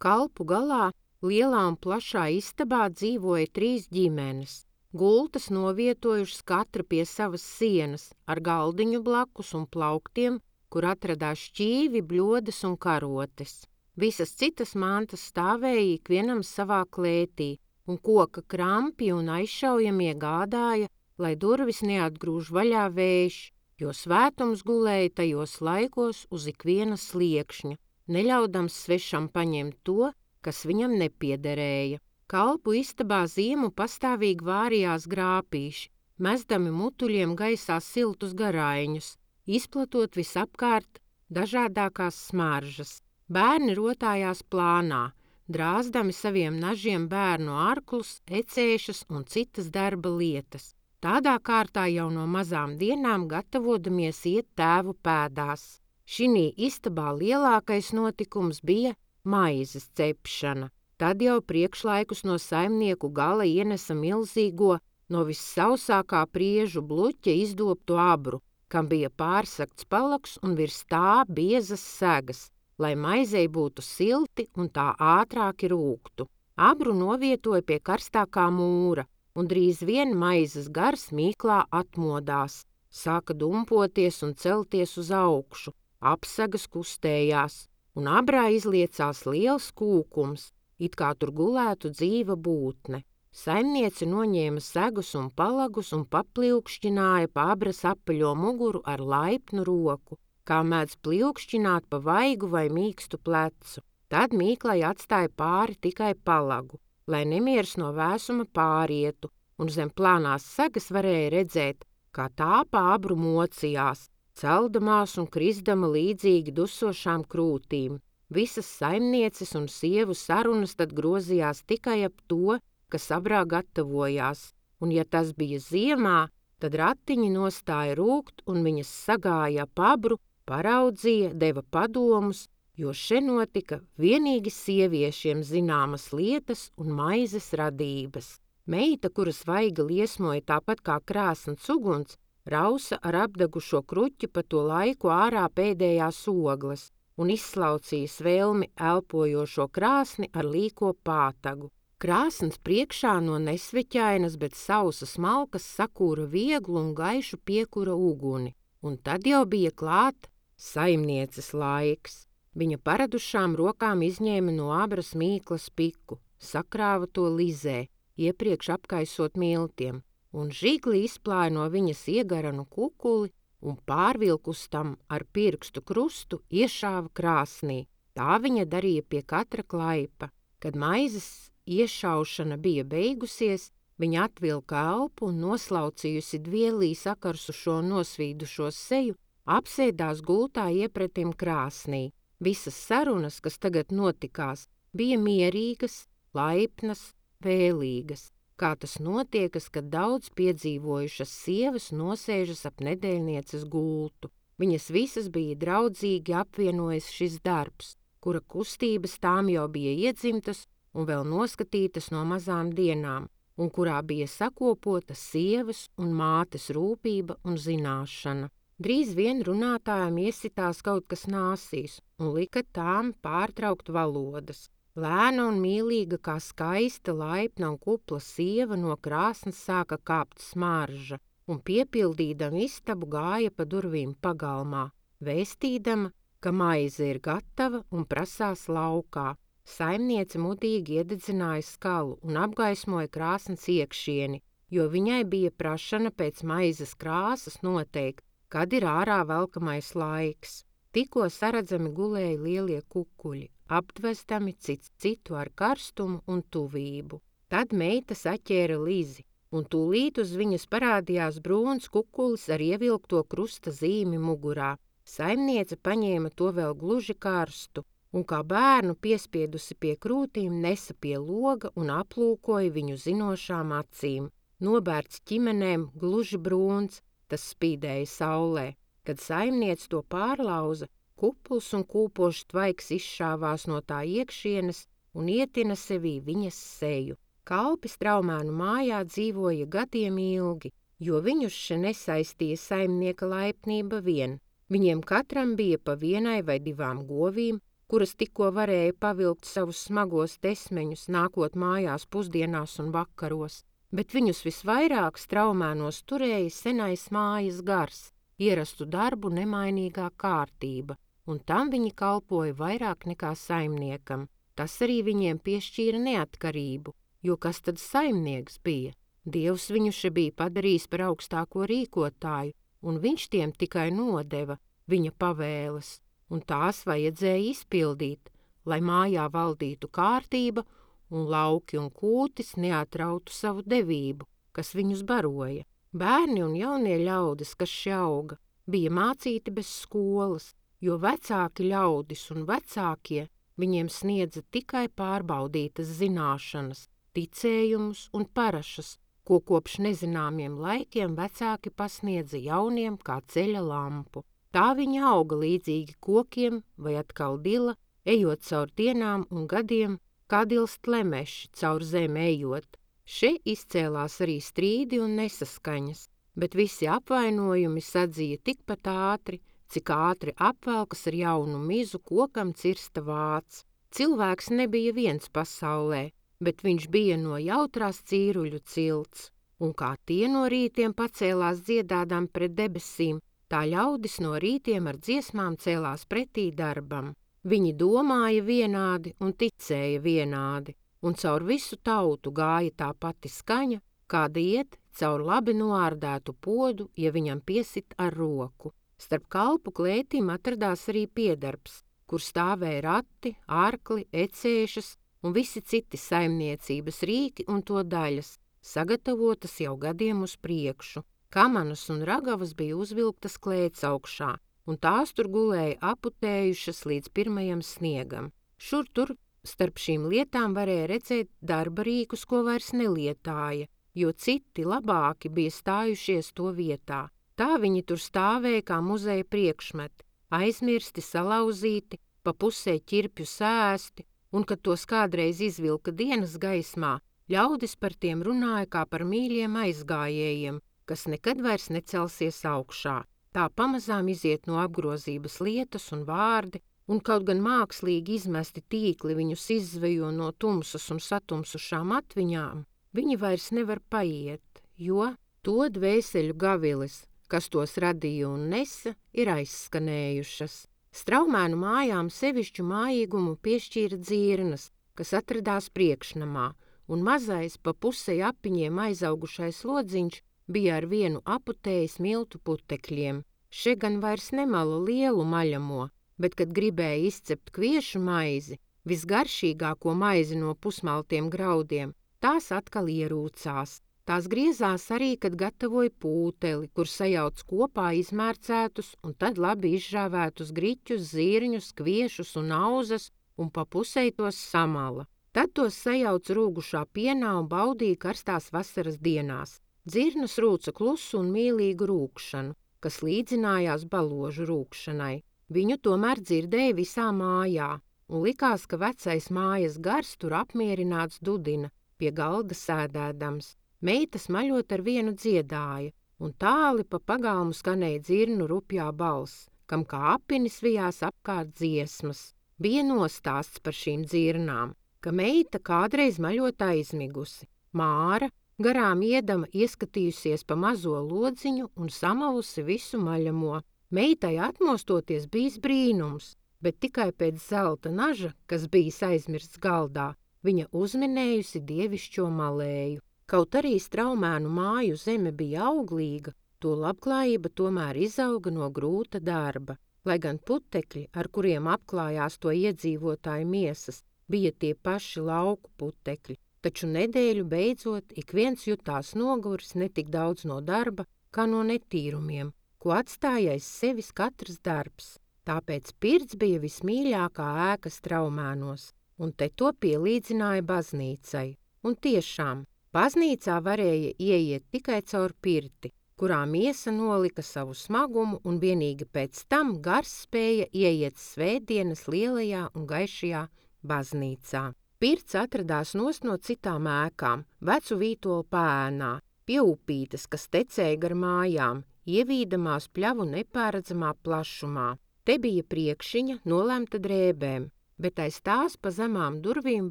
Kalpu galā, lielā un plašā istabā dzīvoja trīs ģimenes. Gultas novietojušas katra pie savas sienas, ar galdiņu blakus un plauktiem, kur atradās šķīvi, bļodas un karotes. Visas citas mantas stāvēja ikvienam savā klētī, un koka krampi un aizšaujamie gādāja, lai durvis neatgrūž vaļā vējš, jo svētums gulēja tajos laikos uz ikviena sliekšņa, neļaudams svešam paņemt to, kas viņam nepiederēja. Kalpu istabā ziemu pastāvīgi vārījās grāpīši, mesdami mutuļiem gaisā siltus garaiņus, izplatot visapkārt dažādākās smaržas. Bērni rotājās plānā, drāzdami saviem nažiem bērnu arklus, ecēšas un citas darba lietas. Tādā kārtā jau no mazām dienām gatavodamies iet tēvu pēdās. Šinī istabā lielākais notikums bija maizes cepšana. Tad jau priekšlaikus no saimnieku gala ienesa milzīgo, no vissausākā priežu bluķa izdobtu abru, kam bija pārsakts palaks un virs tā biezas segas, lai maizei būtu silti un tā ātrāki rūgtu. Abru novietoja pie karstākā mūra, un drīz vien maizes gars mīklā atmodās, sāka dumpoties un celties uz augšu, apsagas kustējās, un abrā izliecās liels kūkums, it kā tur gulētu dzīva būtne. Saimniece noņēma segus un palagus un papļūkšķināja pa abras apaļo muguru ar laipnu roku, kā mēdz pļūkšķināt pa vaigu vai mīkstu plecu. Tad mīklai atstāja pāri tikai palagu, lai nemieris no vēsuma pārietu, un zem plānās segas varēja redzēt, kā tā pa abru mocījās, celdamās un krisdama līdzīgi dusošām krūtīm. Visas saimnieces un sievu sarunas tad grozījās tikai ap to, kas abrā gatavojās, un ja tas bija ziemā, tad ratiņi nostāja rūgt un viņas sagāja ap abru, paraudzīja, deva padomus, jo še notika vienīgi sieviešiem zināmas lietas un maizes radības. Meita, kuras vaiga liesmoja tāpat kā krāsns uguns, rausa ar apdegušo kruķi pa to laiku ārā pēdējās ogles un izslaucīja svelmi elpojošo krāsni ar līko pātagu. Krāsns priekšā no nesveķainas, bet sausas malkas sakūra vieglu un gaišu piekura uguni, un tad jau bija klāt saimnieces laiks. Viņa paradušām rokām izņēma no abras mīklas piku, sakrāva to lizē, iepriekš apkaisot miltiem, un žigli izplāja no viņas iegaranu kukuli un pārvilkus tam ar pirkstu krustu iešāva krāsnī. Tā viņa darīja pie katra klaipa. Kad maizes iešaušana bija beigusies, viņa atvilka elpu un noslaucījusi dvielī sakarsušo nosvīdušo seju, apsēdās gultā iepretim krāsnī. Visas sarunas, kas tagad notikās, bija mierīgas, laipnas, vēlīgas, kā tas notiekas, kad daudz piedzīvojušas sievas nosēžas ap nedēļnieces gultu. Viņas visas bija draudzīgi apvienojas šis darbs, kura kustības tām jau bija iedzimtas un vēl noskatītas no mazām dienām, un kurā bija sakopota sievas un mātes rūpība un zināšana. Drīz vien runātājām iesitās kaut kas nāsīs un lika tām pārtraukt valodas. Lēna un mīlīga kā skaista, laipna un kupla sieva no krāsnes sāka kāpt smarža. un piepildīdama istabu gāja pa durvīm pagalmā, vēstīdama, ka maize ir gatava un prasās laukā. Saimniece mudīgi iededzināja skalu un apgaismoja krāsns iekšieni, jo viņai bija prašana pēc maizes krāsas noteikt, kad ir ārā velkamais laiks. Tikko saredzami gulēja lielie kukuļi, aptvestami cits citu ar karstumu un tuvību. Tad meita saķēra Lizi, un tūlīt uz viņas parādījās brūns kukulis ar ievilkto krusta zīmi mugurā. Saimniece paņēma to vēl gluži karstu, un kā bērnu piespiedusi pie krūtīm nesa pie loga un aplūkoja viņu zinošām acīm. Nobērts ķimenēm, gluži brūns, tas spīdēja saulē. Kad saimniece to pārlauza, kupls un kūpošs tvaiks izšāvās no tā iekšienes un ietina sevī viņas seju. Kalpi Straumēnu mājā dzīvoja gadiem ilgi, jo viņus še nesaistīja saimnieka laipnība vien. Viņiem katram bija pa vienai vai divām govīm, kuras tikko varēja pavilkt savus smagos tesmeņus, nākot mājās pusdienās un vakaros, bet viņus visvairāk Straumēnos turēja senais mājas gars, ierastu darbu nemainīgā kārtība, un tam viņi kalpoja vairāk nekā saimniekam. Tas arī viņiem piešķīra neatkarību, jo kas tad saimnieks bija? Dievs viņu še bija padarījis par augstāko rīkotāju, un viņš tiem tikai nodeva viņa pavēles, un tās vajadzēja izpildīt, lai mājā valdītu kārtība un lauki un kūtis neatrautu savu devību, kas viņus baroja. Bērni un jaunie ļaudis, kas še auga, bija mācīti bez skolas, jo vecāki ļaudis un vecākie viņiem sniedza tikai pārbaudītas zināšanas, ticējumus un parašas, ko kopš nezināmiem laikiem vecāki pasniedza jauniem kā ceļa lampu. Tā viņi auga līdzīgi kokiem vai atkal dila, ejot caur dienām un gadiem, kā dilst lemeši caur zemi ejot. Še izcēlās arī strīdi un nesaskaņas, bet visi apvainojumi sadzīja tikpat ātri, cik ātri apvelkas ar jaunu mizu kokam cirsta vāts. Cilvēks nebija viens pasaulē, bet viņš bija no jautrās cīruļu cilts, un kā tie no rītiem pacēlās dziedādām pret debesīm, tā ļaudis no rītiem ar dziesmām cēlās pretī darbam. Viņi domāja vienādi un ticēja vienādi, un caur visu tautu gāja tā pati skaņa, kāda iet caur labi noārdētu podu, ja viņam piesit ar roku. Starp kalpu klētīm atradās arī piedarbs, kur stāvēja rati, arkli, ecēšas un visi citi saimniecības rīki un to daļas, sagatavotas jau gadiem uz priekšu. Kamanas un ragavas bija uzvilktas klēts augšā, un tās tur gulēja aputējušas līdz pirmajam sniegam. Šur tur starp šīm lietām varēja redzēt darba rīkus, ko vairs nelietāja, jo citi labāki bija stājušies to vietā. Tā viņi tur stāvēja kā muzeja priekšmeti, aizmirsti, salauzīti, pa pusē ķirpju sēsti, un, kad tos kādreiz izvilka dienas gaismā, ļaudis par tiem runāja kā par mīļiem aizgājējiem, kas nekad vairs necelsies augšā. Tā pamazām iziet no apgrozības lietas un vārdi, un kaut gan mākslīgi izmesti tīkli viņus izzvejo no tumsas un satumsušām atviņām, viņi vairs nevar paiet, jo to dvēseļu gavilis, kas tos radīja un nesa, ir aizskanējušas. Straumēnu mājām sevišķu mājīgumu piešķīra dzirnas, kas atradās priekšnamā, un mazais pa pusei apiņiem aizaugušais lodziņš bija ar vienu aputējis miltu putekļiem. Še gan vairs nemala lielu maļamo, bet, kad gribēja izcept kviešu maizi, visgaršīgāko maizi no pusmaltiem graudiem, tās atkal ierūcās. Tās griezās arī, kad gatavoja pūteli, kur sajauc kopā izmērcētus un tad labi izžāvētus griķus, zirņus, kviešus un auzas un pa pusei tos samala. Tad tos sajauc rūgušā pienā un baudīja karstās vasaras dienās. Dzirnas rūca klusu un mīlīgu rūkšanu, kas līdzinājās baložu rūkšanai. Viņu tomēr dzirdēja visā mājā, un likās, ka vecais mājas gars tur apmierināts dudina, pie galda sēdēdams. Meita smaļot ar vienu dziedāja, un tāli pa pagalmu skanēja dzirnu rupjā balss, kam kā apinis vijās apkārt dziesmas. Bija nostāsts par šīm dzirnām, ka meita kādreiz maļot aizmigusi. Māra, Garām iedama ieskatījusies pa mazo lodziņu un samalusi visu maļamo. Meitai atmostoties bijis brīnums, bet tikai pēc zelta naža, kas bijis aizmirsts galdā, viņa uzminējusi dievišķo malēju. Kaut arī Straumēnu māju zeme bija auglīga, to labklājība tomēr izauga no grūta darba. Lai gan putekļi, ar kuriem apklājās to iedzīvotāju miesas, bija tie paši lauku putekļi, taču nedēļu beidzot ik viens jutās noguris ne tik daudz no darba, kā no netīrumiem, ko atstāja aiz sevis katrs darbs. Tāpēc pirts bija vismīļākā ēka Straumēnos, un te to pielīdzināja baznīcai. Un tiešām, baznīcā varēja ieiet tikai caur pirti, kurā miesa nolika savu smagumu, un vienīgi pēc tam gars spēja ieiet svētdienas lielajā un gaišajā baznīcā. Pirts atradās nost no citām ēkām, vecu vītolu pēnā, pie upītes, kas tecēja gar mājām, ievīdamās pļavu nepāredzamā plašumā. Te bija priekšiņa nolemta drēbēm, bet aiz tās pa zemām durvīm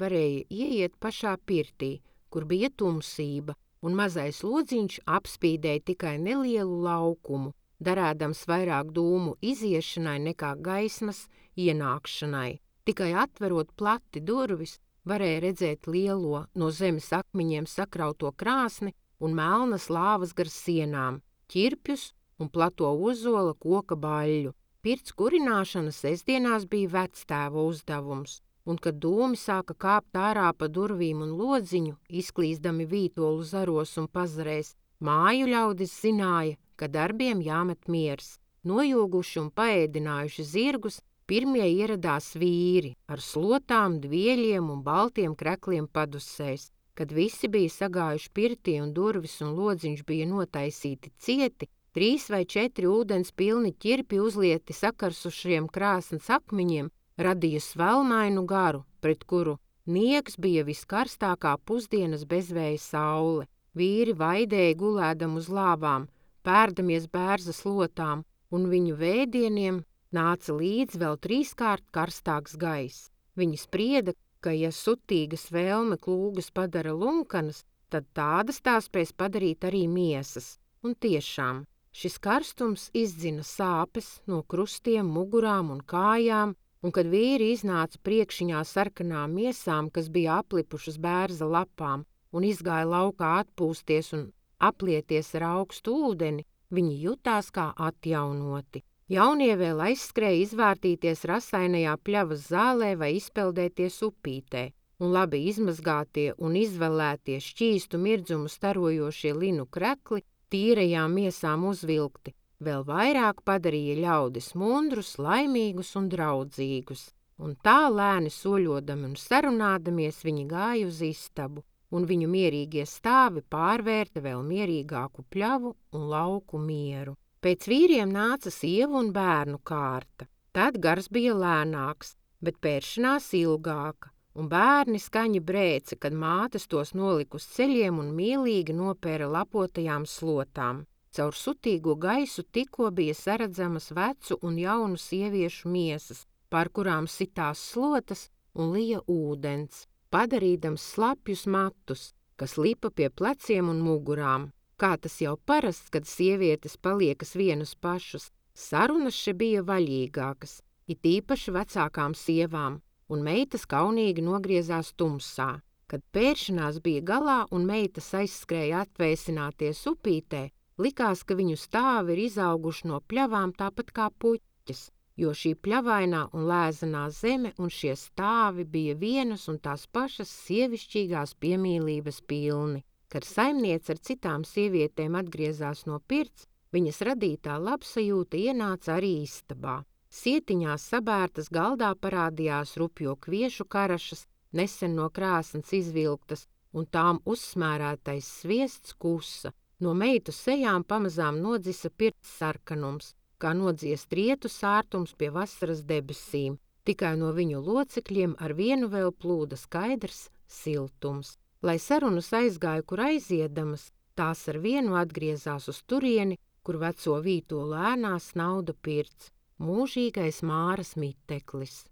varēja ieiet pašā pirtī, kur bija tumsība, un mazais lodziņš apspīdēja tikai nelielu laukumu, darēdams vairāk dūmu iziešanai nekā gaismas ienākšanai. Tikai atverot plati durvis, varēja redzēt lielo no zemes akmeņiem sakrauto krāsni un melnas lāvas gar sienām, ķirpjus un plato ozola koka baļļu. Pirts kurināšana sestdienās bija vectēva uzdevums, un kad dūmi sāka kāpt ārā pa durvīm un lodziņu, izklīzdami vītolu zaros un pazarēs, māju ļaudis zināja, ka darbiem jāmet miers. Nojūguši un paēdinājuši zirgus, pirmie ieradās vīri ar slotām, dvieļiem un baltiem krekliem padusēs. Kad visi bija sagājuši pirtī un durvis un lodziņš bija notaisīti cieti, trīs vai četri ūdens pilni ķirpi uzlieti sakarsušiem krāsnes akmeņiem radīja svelmainu garu, pret kuru niegs bija viskarstākā pusdienas bezvēja saule. Vīri vaidēja gulēdam uz lāvām, pērdamies bērza slotām, un viņu vēdieniem nāca līdz vēl trīskārt karstāks gaiss. Viņi sprieda, ka ja sutīgas vēlme klūgas padara lunkanas, tad tādas tā spēs padarīt arī miesas. Un tiešām, šis karstums izdzina sāpes no krustiem, mugurām un kājām, un kad vīri iznāca priekšiņā sarkanām miesām, kas bija aplipušas bērza lapām, un izgāja laukā atpūsties un aplieties ar augstu ūdeni, viņi jutās kā atjaunoti. Jaunie vēl aizskrēja izvārtīties rasainajā pļavas zālē vai izpeldēties upītē, un labi izmazgātie un izvelētie šķīstu mirdzumu starojošie linu krekli tīrajām miesām uzvilkti, vēl vairāk padarīja ļaudis mundrus, laimīgus un draudzīgus. Un tā lēni soļodami un sarunādamies viņi gāja uz istabu, un viņu mierīgie stāvi pārvērta vēl mierīgāku pļavu un lauku mieru. Pēc vīriem nāca sievu un bērnu kārta. Tad gars bija lēnāks, bet pēršanās ilgāka, un bērni skaņi brēca, kad mātes tos nolika uz ceļiem un mīlīgi nopēra lapotajām slotām. Caur sutīgo gaisu tikko bija saredzamas vecu un jaunu sieviešu miesas, pār kurām sitās slotas un lija ūdens, padarīdams slapjus matus, kas lipa pie pleciem un mugurām. Kā tas jau parasts, kad sievietes paliekas vienas pašas, sarunas še bija vaļīgākas, it īpaši vecākām sievām, un meitas kaunīgi nogriezās tumsā. Kad pēršanās bija galā un meitas aizskrēja atvēsināties upītē, likās, ka viņu stāvi ir izauguši no pļavām tāpat kā puķis, jo šī pļavainā un lēzenā zeme un šie stāvi bija vienas un tās pašas sievišķīgās piemīlības pilni. Kad saimniece ar citām sievietēm atgriezās no pirts, viņas radītā labsajūta ienāca arī istabā. Sietiņās sabērtas galdā parādījās rupjo kviešu karašas, nesen no krāsnes izvilktas, un tām uzsmērētais sviests kusa. No meitu sejām pamazām nodzisa pirts sarkanums, kā nodzies rietu sārtums pie vasaras debesīm. Tikai no viņu locekļiem ar vienu vēl plūda skaidrs siltums. Lai sarunas aizgāja, kur aiziedamas, tās ar vienu atgriezās uz turieni, kur veco vītolu ēnā snauda pirts, mūžīgais Māras miteklis.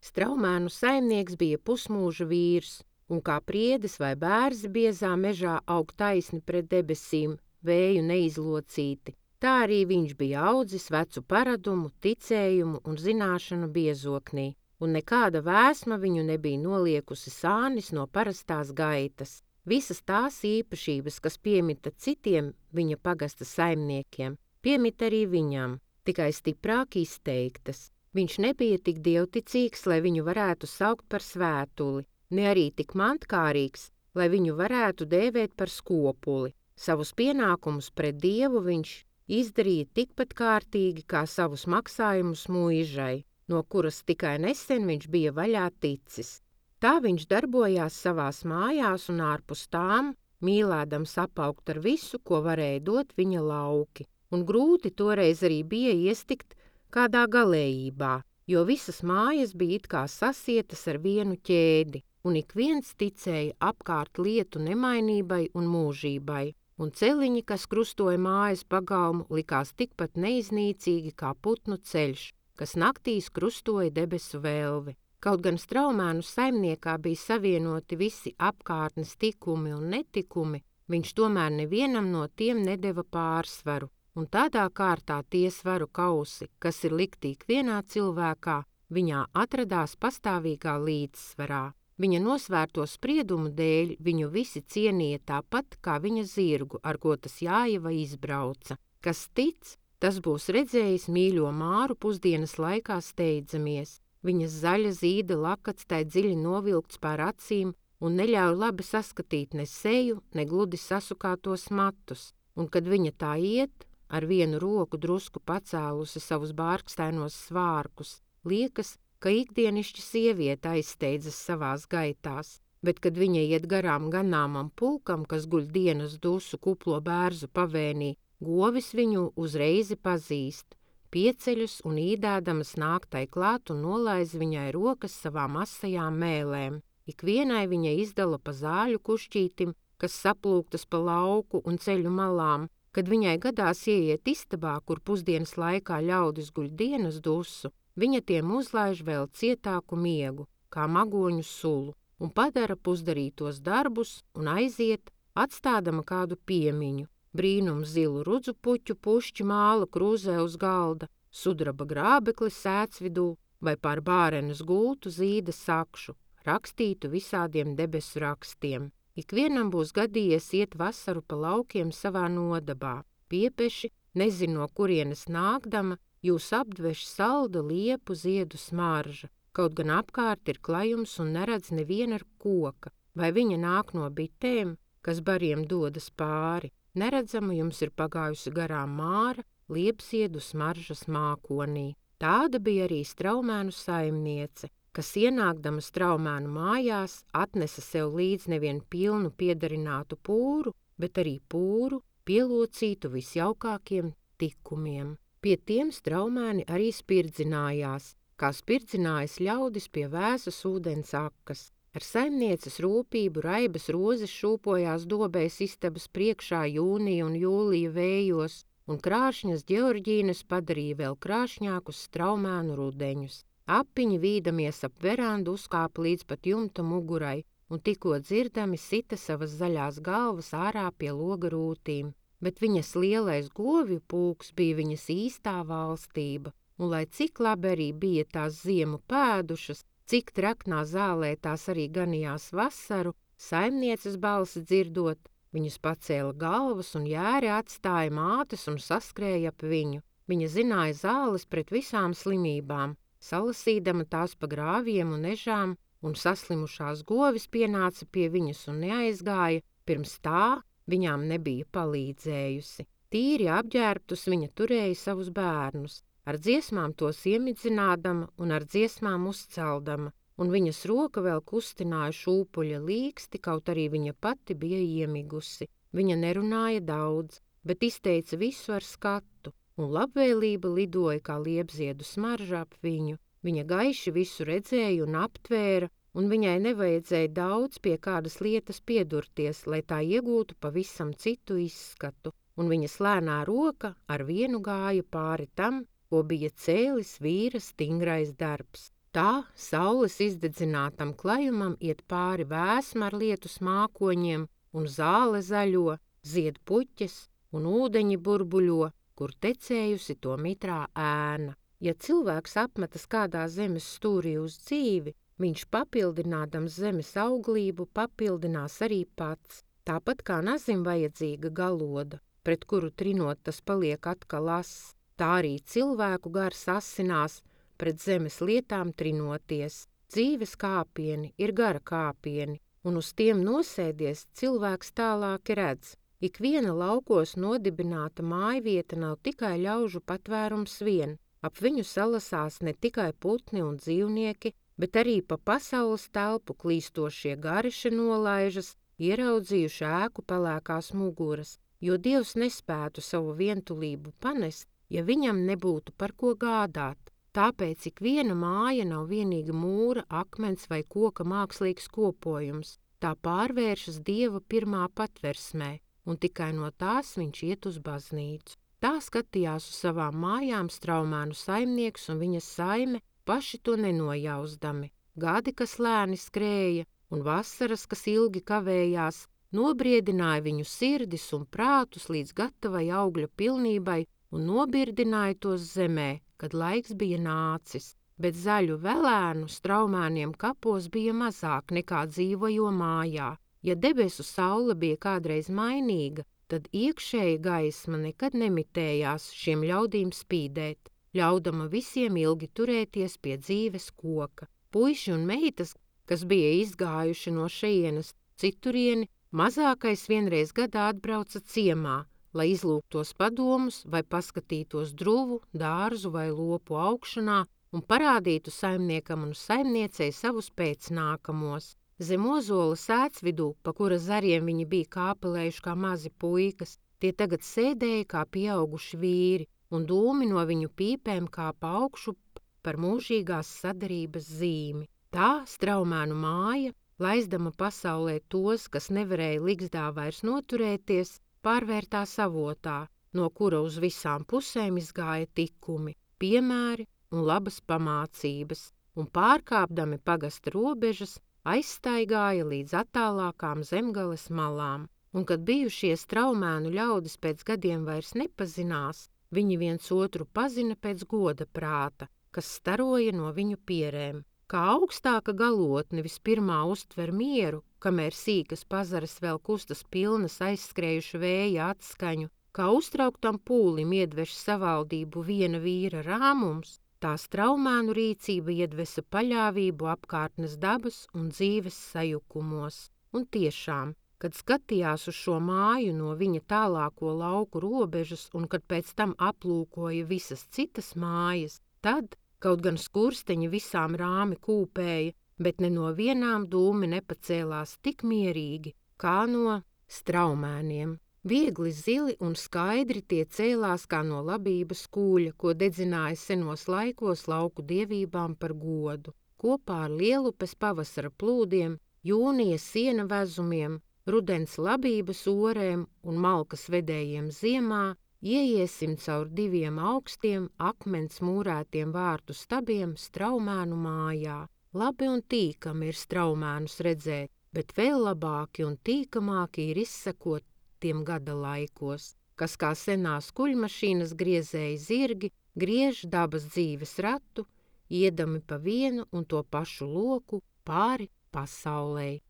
Straumēnu saimnieks bija pusmūža vīrs, un kā priedis vai bērzi biezā mežā aug taisni pret debesīm, vēju neizlocīti, tā arī viņš bija audzis vecu paradumu, ticējumu un zināšanu biezoknī, un nekāda vēsma viņu nebija noliekusi sānis no parastās gaitas. Visas tās īpašības, kas piemita citiem viņa pagasta saimniekiem, piemita arī viņam, tikai stiprāk izteiktas. Viņš nebija tik dievticīgs, lai viņu varētu saukt par svētuli, ne arī tik mantkārīgs, lai viņu varētu dēvēt par skopuli. Savus pienākumus pret Dievu viņš izdarīja tikpat kārtīgi kā savus maksājumus mūžai, no kuras tikai nesen viņš bija vaļā ticis. Tā viņš darbojās savās mājās un ārpus tām, mīlēdams apaugt ar visu, ko varēja dot viņa lauki, un grūti toreiz arī bija iestikt kādā galējībā, jo visas mājas bija it kā sasietas ar vienu ķēdi, un ik viens ticēja apkārt lietu nemainībai un mūžībai, un celiņi, kas krustoja mājas pagalmu, likās tikpat neiznīcīgi kā putnu ceļš, kas naktīs krustoja debesu velvi. Kaut gan Straumēnu saimniekā bija savienoti visi apkārtnes tikumi un netikumi, viņš tomēr nevienam no tiem nedeva pārsvaru, un tādā kārtā tie svaru kausi, kas ir likti ikvienā cilvēkā, viņā atradās pastāvīgā līdzsvarā. Viņa nosvērto spriedumu dēļ viņu visi cienīja tāpat kā viņa zirgu, ar ko tas Jāiva izbrauca. Kas tic, tas būs redzējis mīļo Māru pusdienas laikā steidzamies. Viņas zaļa zīda lakats tai dziļi novilkts pār acīm un neļauj labi saskatīt ne seju, ne gludi sasukātos matus, un kad viņa tā iet, ar vienu roku drusku pacēlusi savus bārkstainos svārkus, liekas, ka ikdienišķa sieviete aizsteidzas savās gaitās, bet kad viņa iet garām ganāmam pulkam, kas guļ dienas dusu kuplo bērzu pavēnī, govis viņu uzreizi pazīst. Pieceļus un īdēdamas nāk tai klāt un nolaiz viņai rokas savām asajām mēlēm. Ikvienai viņa izdala pa zāļu kušķītim, kas saplūktas pa lauku un ceļu malām, kad viņai gadās ieiet istabā, kur pusdienas laikā ļaudis guļ dienas dusu, viņa tiem uzlaiž vēl cietāku miegu, kā magoņu sulu, un padara pusdarītos darbus un aiziet, atstādama kādu piemiņu. Brīnums zilu rudzu puķu pušķi māla krūzē uz galda, sudraba grābekli sēdz vidū vai pār bārenes gultu zīda sakšu, rakstītu visādiem debesu rakstiem. Ikvienam būs gadījies iet vasaru pa laukiem savā nodabā. Piepeši, nezin no kurienes nākdama, jūs apdveš salda liepu ziedu smarža, kaut gan apkārt ir klajums un neredz neviena ar koka, vai viņa nāk no bitēm, kas bariem dodas pāri. Neredzama jums ir pagājusi garām Māra, liepziedu smaržas mākonī. Tāda bija arī Straumēnu saimniece, kas ienākdama Straumēnu mājās atnesa sev līdz nevien pilnu piedarinātu pūru, bet arī pūru pielocītu visjaukākiem tikumiem. Pie tiem Straumēni arī spirdzinājās, kā spirdzinājas ļaudis pie vēsas ūdens akas. Ar saimnieces rūpību raibas rozes šūpojās dobēs istabas priekšā jūnija un jūlija vējos, un krāšņas ģeorģīnes padarīja vēl krāšņākus Straumēnu rudeņus. Apiņi vīdamies ap verandu uzkāpa līdz pat jumta mugurai, un tikko dzirdami sita savas zaļās galvas ārā pie loga rūtīm, bet viņas lielais govju pulks bija viņas īstā valstība, un lai cik labi arī bija tās ziemu pēdušas, cik traknā zālē tās arī ganījās vasaru, saimnieces balsi dzirdot, viņas pacēla galvas un jēri atstāja mātes un saskrēja ap viņu. Viņa zināja zāles pret visām slimībām, salasīdama tās pa grāviem un ežām, un saslimušās govis pienāca pie viņas un neaizgāja, pirms tā viņām nebija palīdzējusi. Tīri apģērbtus viņa turēja savus bērnus, ar dziesmām tos iemidzinādama un ar dziesmām uzceldama, un viņas roka vēl kustināja šūpuļa līksti, kaut arī viņa pati bija iemigusi. Viņa nerunāja daudz, bet izteica visu ar skatu, un labvēlība lidoja kā liepziedu smarža ap viņu. Viņa gaiši visu redzēja un aptvēra, un viņai nevajadzēja daudz pie kādas lietas piedurties, lai tā iegūtu pavisam citu izskatu, un viņas lēnā roka ar vienu gāja pāri tam, ko bija cēlis vīra stingrais darbs. Tā saules izdedzinātam klajumam iet pāri vēsma ar lietus mākoņiem, un zāle zaļo, zied puķes, un ūdeņi burbuļo, kur tecējusi to mitrā ēna. Ja cilvēks apmetas kādā zemes stūrī uz dzīvi, viņš papildinādams zemes auglību papildinās arī pats. Tāpat kā nazim vajadzīga galoda, pret kuru trinot tas paliek atkal ass, tā arī cilvēku gars asinās, pret zemes lietām trinoties. Dzīves kāpieni ir gara kāpieni, un uz tiem nosēdies cilvēks tālāk redz. Ikviena laukos nodibināta mājvieta nav tikai ļaužu patvērums vien. Ap viņu salasās ne tikai putni un dzīvnieki, bet arī pa pasaules telpu klīstošie gariši nolaižas, ieraudzījuši ēku pelēkās muguras, jo Dievs nespētu savu vientulību panest, ja viņam nebūtu par ko gādāt. Tāpēc ikviena māja nav vienīgi mūra, akmens vai koka mākslīgs kopojums. Tā pārvēršas Dieva pirmā patversmē, un tikai no tās viņš iet uz baznīcu. Tā skatījās uz savām mājām Straumēnu saimnieks un viņa saime, paši to nenojauzdami. Gadi, kas lēni skrēja, un vasaras, kas ilgi kavējās, nobriedināja viņu sirdis un prātus līdz gatavai augļa pilnībai un nobirdināja tos zemē, kad laiks bija nācis. Bet zaļu velēnu Straumēniem kapos bija mazāk nekā dzīvojo mājā. Ja debesu saule bija kādreiz mainīga, tad iekšēja gaisma nekad nemitējās šiem ļaudīm spīdēt, ļaudama visiem ilgi turēties pie dzīves koka. Puiši un meitas, kas bija izgājuši no šejienes citurieni, mazākais vienreiz gadā atbrauca ciemā, lai izlūgtos padomus vai paskatītos druvu, dārzu vai lopu augšanā un parādītu saimniekam un saimniecei savus pēcnākamos. Zem ozola sēts vidū, pa kura zariem viņi bija kāpelējuši kā mazi puikas, tie tagad sēdēja kā pieauguši vīri, un dūmi no viņu pīpēm kāpa augšu par mūžīgās sadarības zīmi. Tā Straumēnu māja, laizdama pasaulē tos, kas nevarēja ligzdā vairs noturēties, pārvērtās avotā, no kura uz visām pusēm izgāja tikumi, piemēri un labas pamācības, un pārkāpdami pagasta robežas, aizstaigāja līdz attālākām zemgales malām, un kad bijušie Straumēnu ļaudis pēc gadiem vairs nepazinās, viņi viens otru pazina pēc goda prāta, kas staroja no viņu pierēm. Kā augstāka galotne vispirmā uztver mieru, kamēr sīkas pazaras vēl kustas pilnas aizskrējuša vēja atskaņu, kā uztrauktam pūlim iedveš savaldību viena vīra rāmums, tā Straumēnu rīcība iedvesa paļāvību apkārtnes dabas un dzīves sajukumos. Un tiešām, kad skatījās uz šo māju no viņa tālāko lauku robežas un kad pēc tam aplūkoja visas citas mājas, tad, kaut gan skursteņi visām rāmi kūpēja, bet ne no vienām dūmi nepacēlās tik mierīgi, kā no Straumēniem. Viegli zili un skaidri tie cēlās kā no labības kūļa, ko dedzināja senos laikos lauku dievībām par godu. Kopā ar lielupes pavasara plūdiem, jūnija siena vezumiem, rudens labības orēm un malkas vedējiem ziemā, ieiesim caur diviem augstiem, akmens mūrētiem vārtu stabiem Straumēnu mājā. Labi un tīkami ir Straumēnus redzēt, bet vēl labāki un tīkamāki ir izsekot tiem gada laikos, kas kā senās kuļmašīnas griezēji zirgi griež dabas dzīves ratu, iedami pa vienu un to pašu loku pāri pasaulei.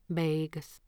Beigas.